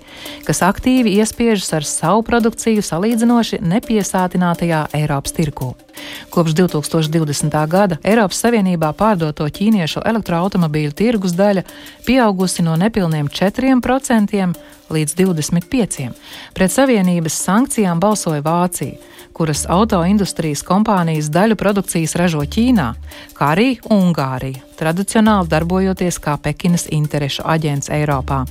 kas aktīvi iespiežas ar savu produkciju salīdzinoši nepiesātinātajā Eiropas tirgū. Kopš divi tūkstoši divdesmitā gada Eiropas Savienībā pārdoto ķīniešu elektroautomobīļu tirgus daļa pieaugusi no nepilniem četriem procentiem līdz divdesmit pieciem procentiem. Pret Savienības sankcijām balsoja Vācija, kuras autoindustrijas kompānijas daļu produkcijas ražo Ķīnā, kā arī Ungārija, tradicionāli darbojoties kā Pekinas interešu aģents Eiropā.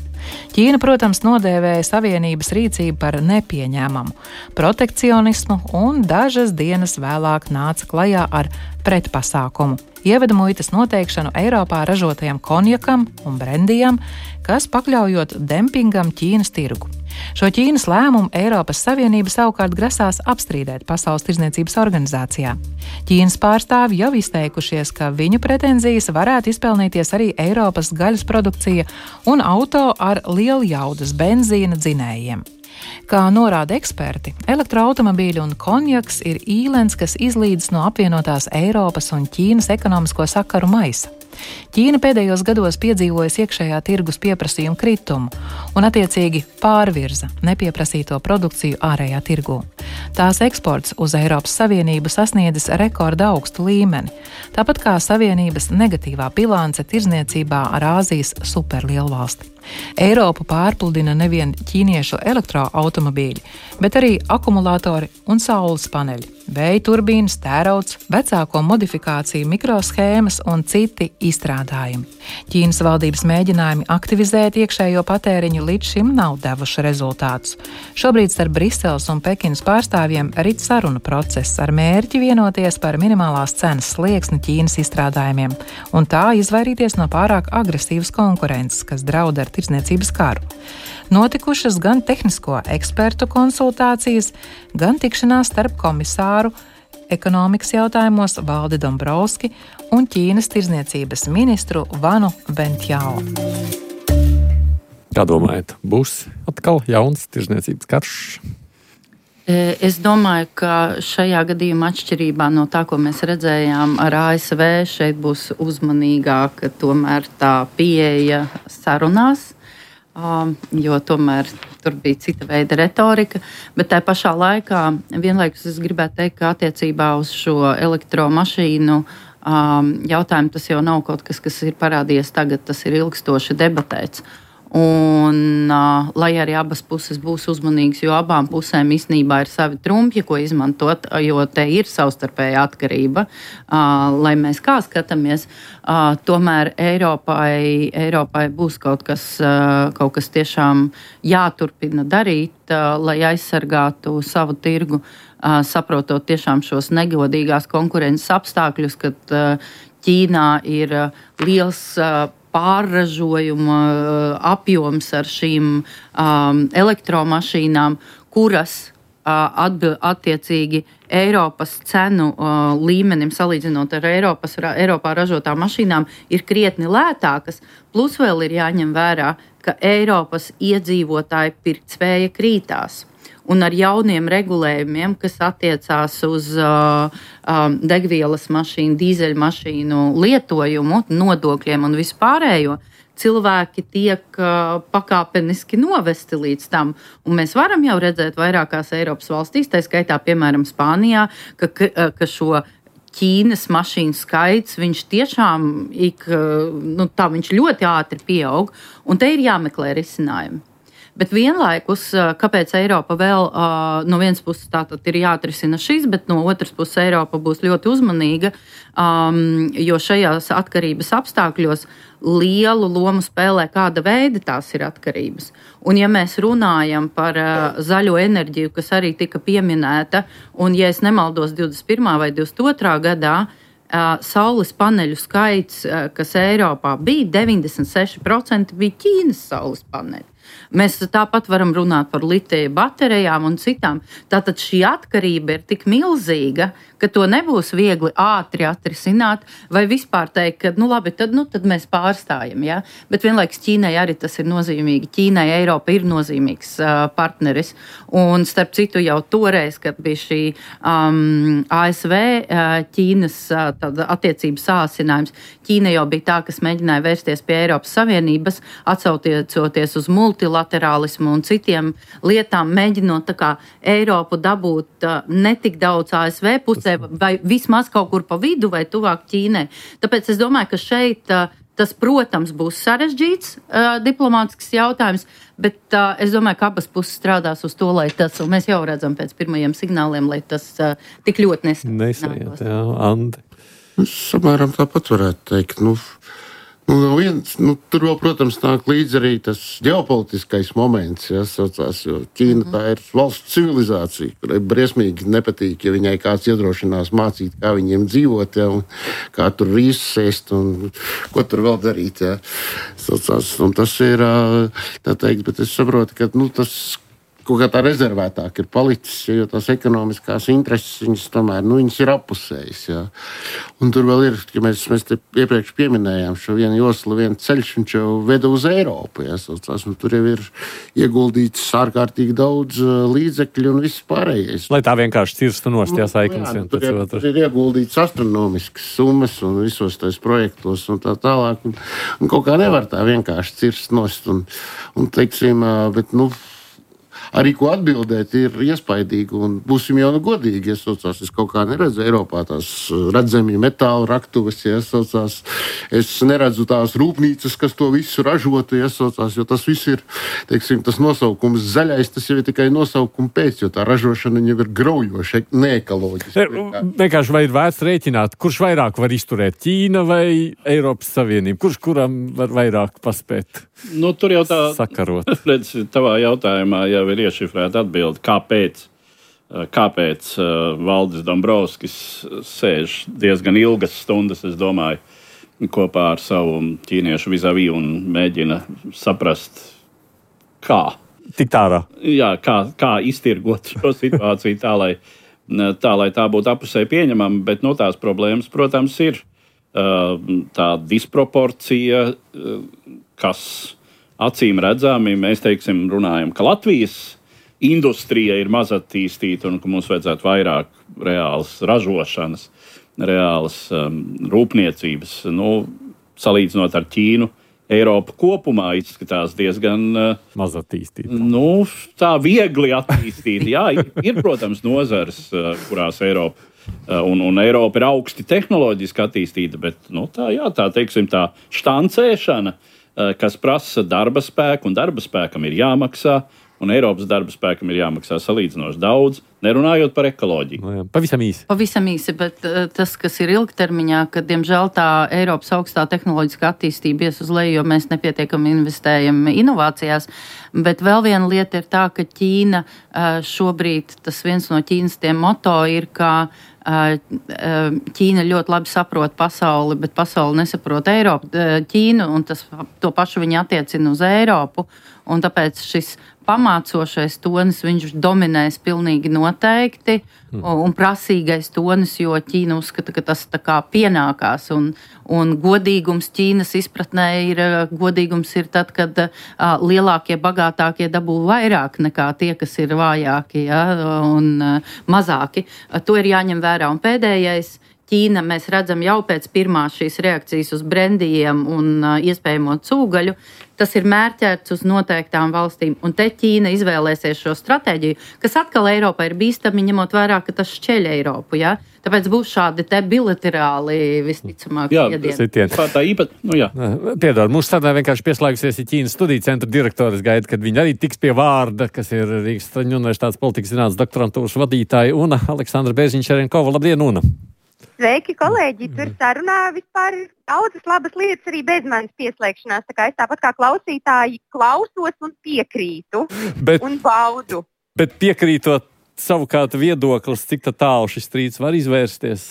Ķīna, protams, nodēvēja Savienības rīcību par nepieņēmamu protekcionismu un dažas dienas vēlāk nāca klajā ar pretpasākumu. Ieveda muitas noteikšanu Eiropā ražotajam konjakam un brendijam, kas pakļaujot dempingam Ķīnas tirgu. Šo Ķīnas lēmumu Eiropas Savienība savukārt grasās apstrīdēt Pasaules tirdzniecības organizācijā. Ķīnas pārstāvji jau izteikušies, ka viņu pretenzijas varētu izpelnīties arī Eiropas gaļas produkcija un auto ar lieljaudas benzīna dzinējiem. Kā norāda eksperti, elektroautomobīļi un konjaks ir īlens, kas izlīdz no apvienotās Eiropas un Ķīnas ekonomisko sakaru maisa. Ķīna pēdējos gados piedzīvojas iekšējā tirgus pieprasījuma kritumu un attiecīgi pārvirza nepieprasīto produkciju ārējā tirgū. Tās eksports uz Eiropas Savienību sasniedzis rekorda augstu līmeni, tāpat kā Savienības negatīvā bilance tirdzniecībā ar Āzijas superlielvalsti. Eiropu pārpludina nevien ķīniešu elektroautomobīļi, bet arī akumulātori un saules paneļi, vēja turbīnas, tērauds, vecāko modifikāciju mikroshēmas un citi izstrādājumi. Ķīnas valdības mēģinājumi aktivizēt iekšējo patēriņu līdz šim nav devuši rezultātus. Šobrīd starp Briseles un Pekinas pārstāvjiem rit sarunu process ar mērķi vienoties par minimālās cenas slieksni Ķīnas izstrādājumiem un tā izvairīties no pārāk agresīvas konkurences, kas draud ar tirdzniecības karu. Notikušas gan tehnisko ekspertu konsultācijas, gan tikšanās starp komisāru ekonomikas jautājumos Valdi Dombrovski un Ķīnas tirdzniecības ministru Vanu Bentjao. Kā domājat, būs atkal jauns tirdzniecības karš? Es domāju, ka šajā gadījumā atšķirībā no tā, ko mēs redzējām ar A S V, šeit būs uzmanīgāka tomēr tā pieeja sarunās, jo tomēr tur bija cita veida retorika, bet tā pašā laikā vienlaikus es gribētu teikt, ka attiecībā uz šo elektromašīnu jautājumu tas jau nav kaut kas, kas ir parādījies tagad, tas ir ilgstoši debatēts. Un, uh, lai arī abas puses būs uzmanīgas, jo abām pusēm īstenībā ir savi trumpi, ko izmantot, jo te ir savstarpēja atkarība, uh, lai mēs kā skatāmies, uh, tomēr Eiropai, Eiropai būs kaut kas, uh, kaut kas tiešām jāturpina darīt, uh, lai aizsargātu savu tirgu, uh, saprotot tiešām šos negodīgās konkurences apstākļus, kad uh, Ķīnā ir uh, liels uh, pārražojuma apjoms ar šīm um, elektromašīnām, kuras uh, atbil, attiecīgi Eiropas cenu uh, līmenim salīdzinot ar Eiropas, Eiropā ražotām mašīnām ir krietni lētākas, plus vēl ir jāņem vērā, ka Eiropas iedzīvotāju pirktspēja krītās. Un ar jauniem regulējumiem, kas attiecās uz uh, um, degvielas mašīnu, dīzeļmašīnu lietojumu, nodokļiem un vispārējo, cilvēki tiek uh, pakāpeniski novesti līdz tam. Un mēs varam jau redzēt vairākās Eiropas valstīs, tā skaitā, piemēram, Spānijā, ka, ka, ka šo Ķīnas mašīnu skaits, viņš tiešām ik, nu, tā, viņš ļoti ātri pieaug, un te ir jāmeklē risinājumi. Bet vienlaikus, kāpēc Eiropa vēl no vienas puses tātad ir jāatrisina šis, bet no otras puses Eiropa būs ļoti uzmanīga, um, jo šajās atkarības apstākļos lielu lomu spēlē, kāda veida tās ir atkarības. Un ja mēs runājam par uh, zaļo enerģiju, kas arī tika pieminēta, un ja es nemaldos divdesmit pirmā vai divdesmit otrā gadā, Uh, saules paneļu skaits, uh, kas Eiropā bija, deviņdesmit seši procenti bija Ķīnas saules paneļi. Mēs tāpat varam runāt par litija baterijām un citām. Tātad šī atkarība ir tik milzīga, ka to nebūs viegli ātri atrisināt vai vispār teikt, ka nu labi, tad, nu, tad mēs pārstājam. Ja? Bet vienlaikus Ķīnai arī tas ir nozīmīgi. Ķīnai Eiropa ir nozīmīgs uh, partneris. Un starp citu jau toreiz, kad bija šī um, A S V uh, Ķīnas uh, attiecības sāsinājums, Ķīna jau bija tā, kas mēģināja vērsties pie Eiropas Savienības, atsaucoties uz multilaterālismu un citiem lietām, mēģinot tā kā Eiropu dabūt uh, ne tik daudz A S V pusē, vai vismaz kaut kur pa vidu vai tuvāk Ķīnai. Tāpēc es domāju, ka šeit uh, tas, protams, būs sarežģīts uh, diplomātisks jautājums, bet uh, es domāju, ka abas puses strādās uz to, lai tas, un mēs jau redzam pēc pirmajiem signāliem, lai tas uh, tik ļoti nesajāt. Jā, Andi. Es samēram tāpat varētu teikt, nu, nu, viens, nu, tur vēl, protams, nāk līdz arī tas ģeopolitiskais moments, ja, saucās, jo Ķīna mm-hmm. tā ir valsts civilizācija, kurai briesmīgi nepatīk, ja viņai kāds iedrošinās mācīt, kā viņiem dzīvot, ja, un kā tur rīsus ēst, un ko tur vēl darīt, ja, saucās, un tas ir, tā teikt, bet es saprotu, ka, nu, tas kaut kā tā rezervētāk ir palicis, jo tās ekonomiskās intereses, viņas tomēr, nu, viņas ir appusējas, jā. Un tur vēl ir, ka mēs, mēs te iepriekš pieminējām šo vienu joslu, vienu ceļš, viņš jau veda uz Eiropu, jā, saucās, un tur jau ir ieguldīts ārkārtīgi daudz līdzekļu un viss pārējais. Lai tā vienkārši cirstu nost, jā, saiknes vien pēc otru. Tur ir ieguldīts astronomiskas summas un visos tais projektos un tā tālāk, un, un kaut kā nevar tā vienkārši cirst nost, un, un teiksim, bet, nu, arī ko atbildēt ir iespaidīgi, un būsim jau nu godīgi, ja saucās, es kaut kā neredzu Eiropā tās redzamie metāla raktuves, ja saucās, es neredzu tās rūpnīcas, kas to visu ražotu, ja saucās, jo tas viss ir, teiksim, tas nosaukums zaļais, tas jau ir tikai nosaukuma pēc, jo tā ražošana jau ir graujoša, neekoloģiska. Vienkārši vai ir vērts rēķināt, kurš vairāk var izturēt, Ķīna vai Eiropas Savienība, kurš kuram var vairāk paspēt? Nu, tur jau tā, sakarot. Redz, tavā jautājumā jau ir iešifrēta atbilde, kāpēc, kāpēc Valdis Dombrovskis sēž diezgan ilgas stundas, es domāju, kopā ar savu ķīniešu vizavī un mēģina saprast, kā. Tik tārā. Jā, kā, kā iztirgot šo situāciju tā, lai tā, lai tā būtu apusēji pieņemama, bet no tās problēmas, protams, ir tā disproporcija, kas acīm redzami, mēs teiksim, runājam, ka Latvijas industrija ir maz attīstīta un ka mums vajadzētu vairāk reālas ražošanas, reālas um, rūpniecības. Nu, salīdzinot ar Ķīnu, Eiropa kopumā izskatās diezgan uh, maz attīstīta. Nu, tā viegli attīstīta. Jā, ir, ir, protams, nozares, uh, kurās Eiropa uh, un, un Eiropa ir augsti tehnoloģiski attīstīta, bet nu, tā, jā, tā, teiksim, tā štancēšana, kas prasa darba spēku, un darba spēkam ir jāmaksā, un Eiropas darba spēkam ir jāmaksā salīdzinoši daudz, nerunājot par ekoloģiju. No jā, pavisam īsi. Pavisam īsi, bet uh, tas, kas ir ilgtermiņā, ka, diemžēl, tā Eiropas augstā tehnoloģiskā attīstība ies uz leju, jo mēs nepietiekami investējam inovācijās. Bet vēl viena lieta ir tā, ka Ķīna uh, šobrīd, tas viens no Ķīnas tiem moto ir, ka Ķīna ļoti labi saprot pasauli, bet pasauli nesaprot Eiropu, Ķīnu, un tas, to pašu viņi attiecina uz Eiropu, un tāpēc šis pamācošais tonis, viņš dominēs pilnīgi noteikti, mm. un, un prasīgais tonis, jo Ķīna uzskata, ka tas tā kā pienākās, un, un godīgums Ķīnas izpratnē ir, godīgums ir tad, kad uh, lielākie, bagātākie dabū vairāk nekā tie, kas ir vājāki, ja, un uh, mazāki. Uh, to ir jāņem vērā. Un pēdējais, Ķīna, mēs redzam jau pēc pirmās šīs reakcijas uz brendijiem un uh, iespējamo cūgaļu, tas ir mērķēts uz noteiktām valstīm. Un te Ķīna izvēlēsies šo stratēģiju, kas atkal Eiropā ir bīstami, ņemot vērā, ka tas šķeļ Eiropu. Ja? Tāpēc būs šādi te bilaterāli visticamāk iedieni. Tā, tā īpat, nu jā. Piedod, mūsu sarunā vienkārši pieslēgusies ir Ķīnas studiju centra direktores gaida, kad viņi arī tiks pie vārda, kas ir Rīgas Traņu universitātes politikas zinātnes doktorantūras vadītāja Una Aleksandra Bērziņš-Šerenkova. Labdien, Una! Sveiki, kolēģi! Tur sarunā vispār ir daudzas labas lietas arī bez manis pieslēgšanās. Tā kā es tāpat kā klausītāji klausos un piekrītu bet, un baudu. Bet piekrītot savukārt viedoklis, cik tā tālu šis strīds var izvērsties?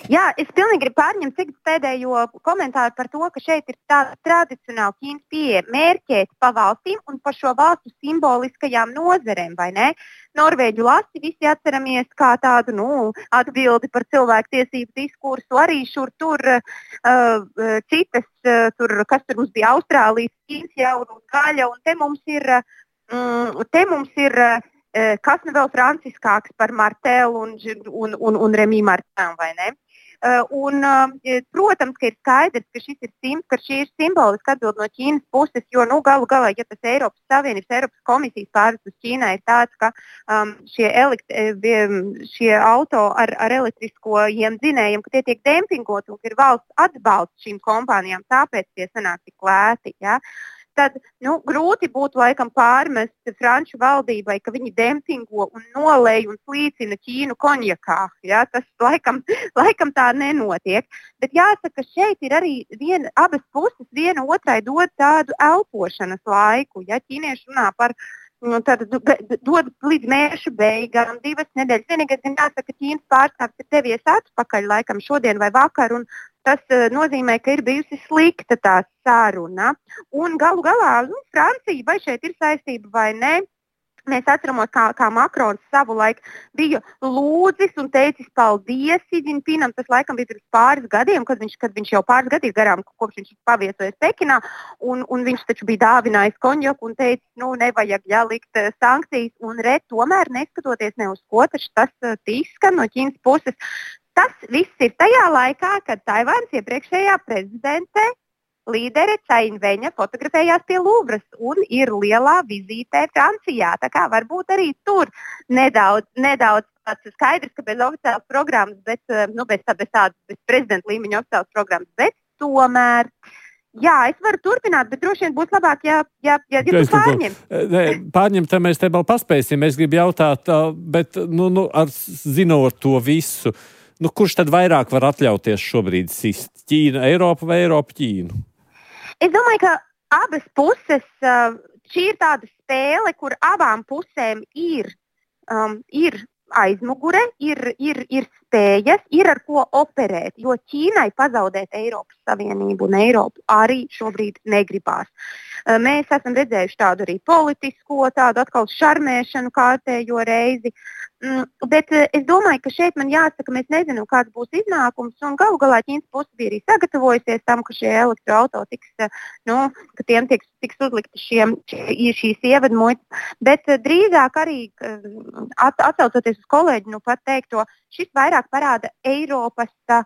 Jā, es pilnīgi gribu pārņemt cik pēdējo komentāru par to, ka šeit ir tāda tradicionāla Ķīnas pieeja mērķēt pa valstīm un par šo valstu simboliskajām nozerēm, vai ne? Norvēģu lasi visi atceramies kā tādu, nu, atbildi par cilvēku tiesību diskursu, arī šur tur uh, citas, uh, tur, kas tur mums bija Austrālijas, Ķīnas jaunu gaļa, un te mums ir, um, te mums ir uh, kas nu vēl franciskāks par Martelu un, un, un, un Remī Martenu, vai ne? Un, protams, ka ir skaidrs, ka, šis ir sim, ka šī ir simboliska atbilde no Ķīnas puses, jo nu, galu galā, ja tas Eiropas Savienības, Eiropas komisijas pārvestus Ķīnā ir tāds, ka um, šie, elekt, šie auto ar, ar elektriskojiem dzinējiem, ka tie tiek dempingot un ka ir valsts atbalsts šīm kompānijām, tāpēc tie sanāk tik lēti. Ja? Tad nu, grūti būtu laikam pārmest Franču valdībai, ka viņi dempingo un nolej un slīcina Ķīnu konjakā. Ja? Tas laikam, laikam tā nenotiek. Bet jāsaka, šeit ir arī viena, abas puses viena otrai dod tādu elpošanas laiku. Ja? Ķīnieši runā par nu, tad, dod līdz mēneša beigām, divas nedēļas. Vienīgais, gan jāsaka, ka Ķīnas pārstāvs ir devies atpakaļ laikam šodien vai vakar. Un tas uh, nozīmē, ka ir bijusi slikta tā saruna. Un galu galā, nu, Francija vai šeit ir saistība vai ne, mēs atceramies, kā, kā Makrons savulaik bija lūdzis un teicis paldies Siģinpinam. Tas laikam bija pirms pāris gadiem, kad viņš, kad viņš jau pāris gadi ir garām, kopš viņš paviesojas Pekinā, un, un viņš taču bija dāvinājis konjaku un teicis, nu, nevajag jālikt uh, sankcijas, un re, tomēr neskatoties ne uz ko, taču tas uh, izskan no Ķīnas puses. Tas viss ir tajā laikā, kad Taivānas iepriekšējā prezidente līdere Cainveņa fotografējās pie Luvras un ir lielā vizītē Francijā. Tā kā varbūt arī tur nedaudz, nedaudz skaidrs, ka bez oficiālas programmas, bet, nu, bez, bez tādas bez prezidenta līmeņa oficiālas programmas, bet tomēr. Jā, es varu turpināt, bet droši vien būs labāk, ja, ja, ja, ja tu pārņem. Pārņemt, mēs te vēl paspēsim. Es gribu jautāt, bet, nu, nu, ar, zinot to visu, nu, kurš tad vairāk var atļauties šobrīd sist? Ķīna, Eiropa vai Eiropa, Ķīnu? Es domāju, ka abas puses, šī ir tāda spēle, kur abām pusēm ir, um, ir aizmugure, ir, ir, ir spējas, ir ar ko operēt, jo Ķīnai pazaudēt Eiropas Savienību un Eiropu arī šobrīd negribās. Mēs esam redzējuši tādu arī politisko, tādu atkal šarmēšanu kārtējo reizi, bet es domāju, ka šeit man jāsaka, mēs nezinām, kāds būs iznākums, un galu galā Ķīnas puse bija arī sagatavojusies tam, ka šie elektroauto tiks, nu, ka tiem tiks, tiks uzlikti šiem, šīs ievadmuitas, bet drīzāk arī at, atsaucoties uz kolēģi, nu pat teikto, šis vairāk parāda Eiropas tā,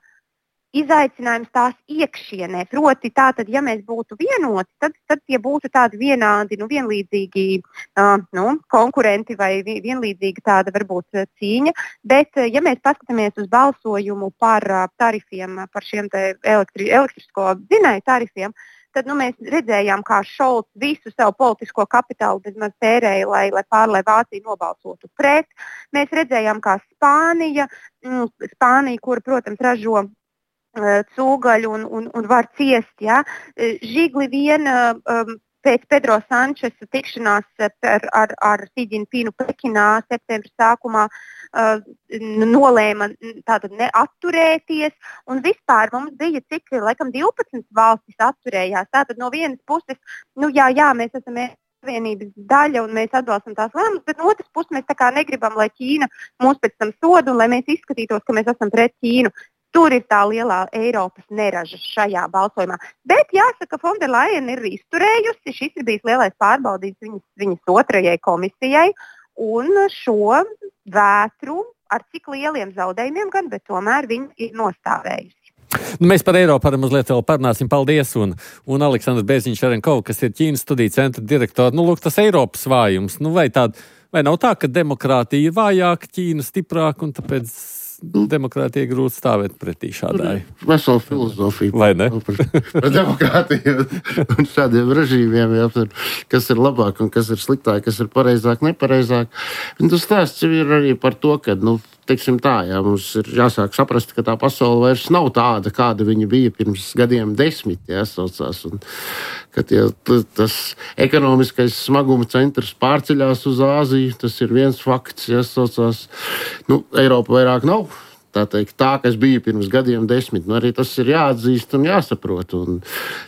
izaicinājums tās iekšienē. Proti, tātad, ja mēs būtu vienoti, tad, tad tie būtu tādi vienādi, nu, vienlīdzīgi uh, nu, konkurenti vai vienlīdzīga tāda varbūt cīņa. Bet, ja mēs paskatāmies uz balsojumu par uh, tarifiem, par šiem te elektri, elektrisko dzinēju tarifiem, tad nu, mēs redzējām, kā Šolts visu savu politisko kapitālu bezmaz tērēja, lai, lai pārlai Vācija nobalsotu pret. Mēs redzējām, kā Spānija, mm, Spānija, kura, protams, ražo cūgaļu un, un, un var ciest. Ja? Žigli vien um, pēc Pedro Sančesa tikšanās ar, ar, ar Siģinpinu Pekinā septembra sākumā uh, nolēma tātad neatturēties. Un vispār mums bija cik, laikam, divpadsmit valstis atturējās. Tātad no vienas puses, nu jā, jā, mēs esam Savienības daļa un mēs atbalstam tās lēmumus, bet no otras puses mēs tā kā negribam, lai Ķīna mūs pēc tam soda un lai mēs izskatītos, ka mēs esam pret Ķīnu. Tur ir tā lielā Eiropas neraža šajā balsojumā. Bet jāsaka, Fonda Lajena ir izturējusi, šis ir bijis lielais pārbaudījums viņas, viņas otrajai komisijai, un šo vētru ar cik lieliem zaudējumiem gan, bet tomēr viņa ir nostāvējusi. Nu, mēs par Eiropu arī mazliet vēl parunāsim. Paldies! Un, un Aleksandrs Bērziņš-Šerenkovs, kas ir Ķīnas studiju centra direktors. Nu, lūk, tas Eiropas vājums. Nu, vai, tād, vai nav tā, ka demokrātija ir vājāka, Ķīna stiprāka, un tāpēc demokrātija grūti stāvēt pretī šādai? Vesela filozofija. Vai ne? Par, par demokrātiju un šādiem režīmiem, jā, kas ir labāk un kas ir sliktāk, kas ir pareizāk, nepareizāk. Un tas stāsts ir arī par to, ka, nu, teiksim tā, jā, mums ir jāsāk saprast, ka tā pasaule vairs nav tāda, kāda viņa bija pirms gadiem desmit, jā, saucās. Un, kad jā, tas ekonomiskais smaguma centrs pārceļās uz Āziju, tas ir viens fakts, jā, saucās. Nu, Eiropa vairāk nav. Tā teikt, tā, kas bija pirms gadiem desmit, nu arī tas ir jāatzīst un jāsaprot. Un,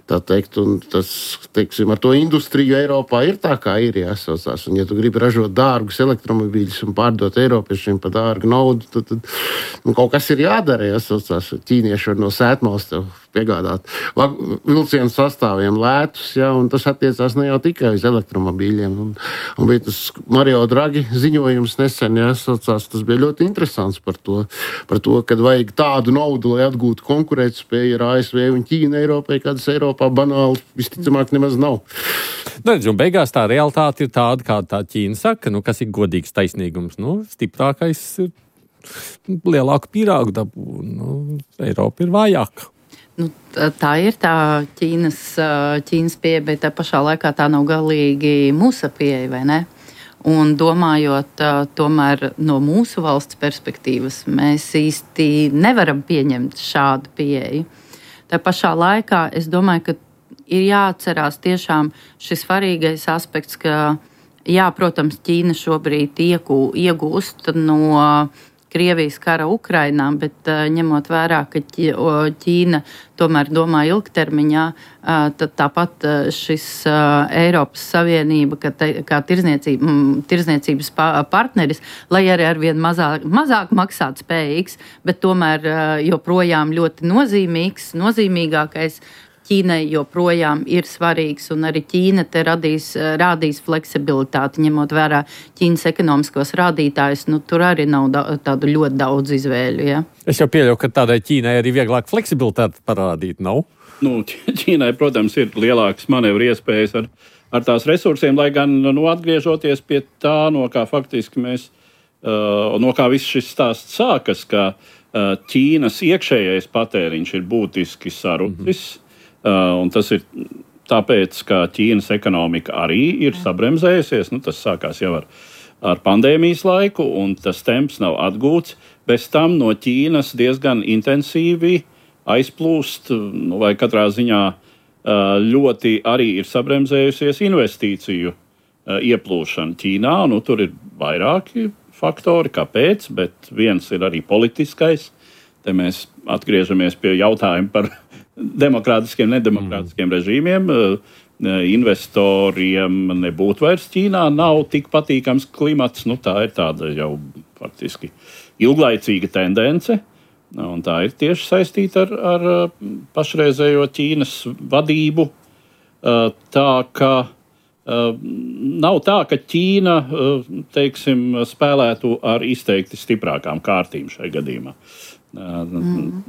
tā teikt, un tas, teiksim, ar to industriju Eiropā ir tā, kā ir jāsaucās. Un, ja tu gribi ražot dārgus elektromobīļus un pārdot Eiropiešiem par dārgu naudu, tad, tad nu, kaut kas ir jādara, jāsaucās. Ķīnieši var no sētmalas tev piegādāt vilcienu sastāviem lētus, ja, un tas attiecās ne jau tikai uz elektromobīļiem. Un, un bija tas Mario Draghi ziņojums nesen, ja, saucās, tas bija ļoti interesants par to, par to, kad vajag tādu naudu, lai atgūtu konkurētspēju ar A S V un Ķīnu Eiropai, kādas Eiropā banāli visticamāk nemaz nav. Redz, un beigās tā realitāte ir tāda, kā tā Ķīna saka, nu, kas ir godīgs taisnīgums. Nu, stiprākais ir lielāku pīrāgu dabū, nu, Eiropa ir vājāka. Nu, tā ir tā Ķīnas, Ķīnas pieeja, bet tā pašā laikā tā nav galīgi mūsu pieeja, vai ne? Un domājot tomēr no mūsu valsts perspektīvas, mēs īsti nevaram pieņemt šādu pieeju. Tā pašā laikā es domāju, ka ir jāatcerās tiešām šis svarīgais aspekts, ka, jā, protams, Ķīna šobrīd iegū, iegūst no Krievijas kara Ukrainā, bet uh, ņemot vērā, ka Ķīna tomēr domā ilgtermiņā, uh, tad tāpat uh, šis uh, Eiropas Savienība, ka te, kā tirzniecība, mm, tirzniecības partneris, lai arī arvien mazāk, mazāk maksāt spējīgs, bet tomēr uh, joprojām ļoti nozīmīgs, nozīmīgākais, Ķīnai joprojām ir svarīgs, un arī Ķīna te radīs, rādīs fleksibilitāti, ņemot vērā Ķīnas ekonomiskos rādītājus. Nu, tur arī nav da, tādu ļoti daudz izvēļu. Ja? Es jau pieļauju, ka tādai Ķīnai arī vieglāk fleksibilitāti parādīt, nav? Nu, Ķīnai, protams, ir lielākas manevru iespējas ar, ar tās resursiem, lai gan, nu, atgriežoties pie tā, no kā faktiski mēs, uh, no kā viss šis stāsts sākas, ka uh, Ķīnas iekšējais patēriņš ir būtiski sarucis. Mm-hmm. Uh, un tas ir tāpēc, ka Ķīnas ekonomika arī ir sabremzējusies. Nu, tas sākās jau ar, ar pandēmijas laiku, un tas temps nav atgūts. Bez tam no Ķīnas diezgan intensīvi aizplūst, nu, vai katrā ziņā uh, ļoti arī ir sabremzējusies investīciju uh, ieplūšana Ķīnā. Nu, tur ir vairāki faktori, kāpēc, bet viens ir arī politiskais. Te mēs atgriežamies pie jautājuma par demokrātiskiem, nedemokrātiskiem mm. režīmiem. Investoriem nebūtu vairs Ķīnā, nav tik patīkams klimats. Nu, tā ir tāda jau faktiski ilglaicīga tendence. Un tā ir tieši saistīta ar, ar pašreizējo Ķīnas vadību. Tā ka nav tā, ka Ķīna, teiksim, spēlētu ar izteikti stiprākām kārtīm šai gadījumā. Mm.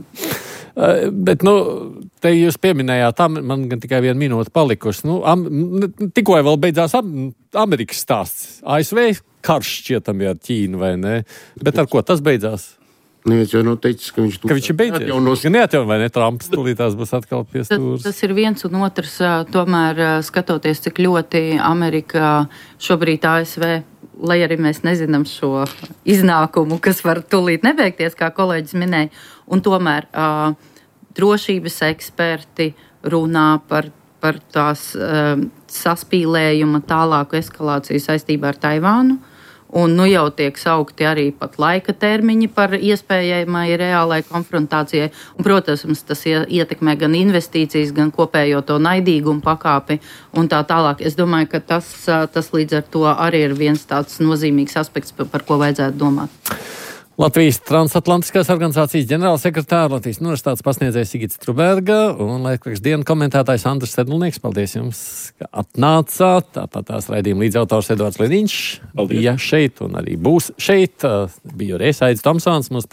Bet, nu, te jūs pieminējāt, man gan tikai viena minūte palikusi. Nu, am, tikko vēl beidzās am, Amerikas stāsts. A S V karš šķietami ar Ķīnu, vai ne? Bet ar ko tas beidzās? Neviens jau nav teicis, ka viņš, ka viņš ir beidzies. Neatjaunos. Gan neatjaunos, vai ne? Trumps tūlītās būs atkal pie stūras. Tas, tas ir viens un otrs, tomēr skatoties, cik ļoti Amerika šobrīd A S V, lai arī mēs nezinām šo iznākumu, kas var tūlīt nebeigties, kā kolēģis minēja, un tomēr uh, drošības eksperti runā par, par tās uh, saspīlējuma tālāku eskalāciju saistībā ar Taivānu, un nu jau tiek saukti arī pat laika termiņi par iespējamai reālai konfrontācijai, un, protams, tas ietekmē gan investīcijas, gan kopējo to naidīgumu pakāpi un tā tālāk. Es domāju, ka tas, tas līdz ar to arī ir viens tāds nozīmīgs aspekts, par, par ko vajadzētu domāt. Latvijas transatlantiskās organizācijas ģenerālsekretāra, Latvijas universitātes pasniedzējs Sigits Truberga un laikraksta dienu komentētājs Andris Sedlnieks. Paldies jums, ka atnācāt. Tāpat tās raidījuma līdzautors Edvards Liniņš bija šeit un arī būs šeit. Bija arī Aidis Tomsons, mūsu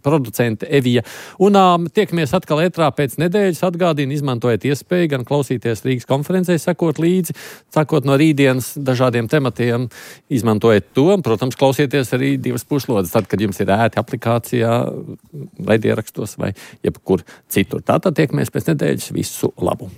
producente Evija. Un um, tiekamies atkal ētrā pēc nedēļas. Atgādina, izmantojiet iespēju gan klausīties Rīgas konferencē, sekot līdzi, sakot no rītdienas dažādiem tematiem. Izmantojiet to, protams, klausieties arī divas puslodes, tad, kad jums ir ērti aplikācijā, raidierakstos vai jebkur citur. Tātad tiekamies pēc nedēļas. Visu labu!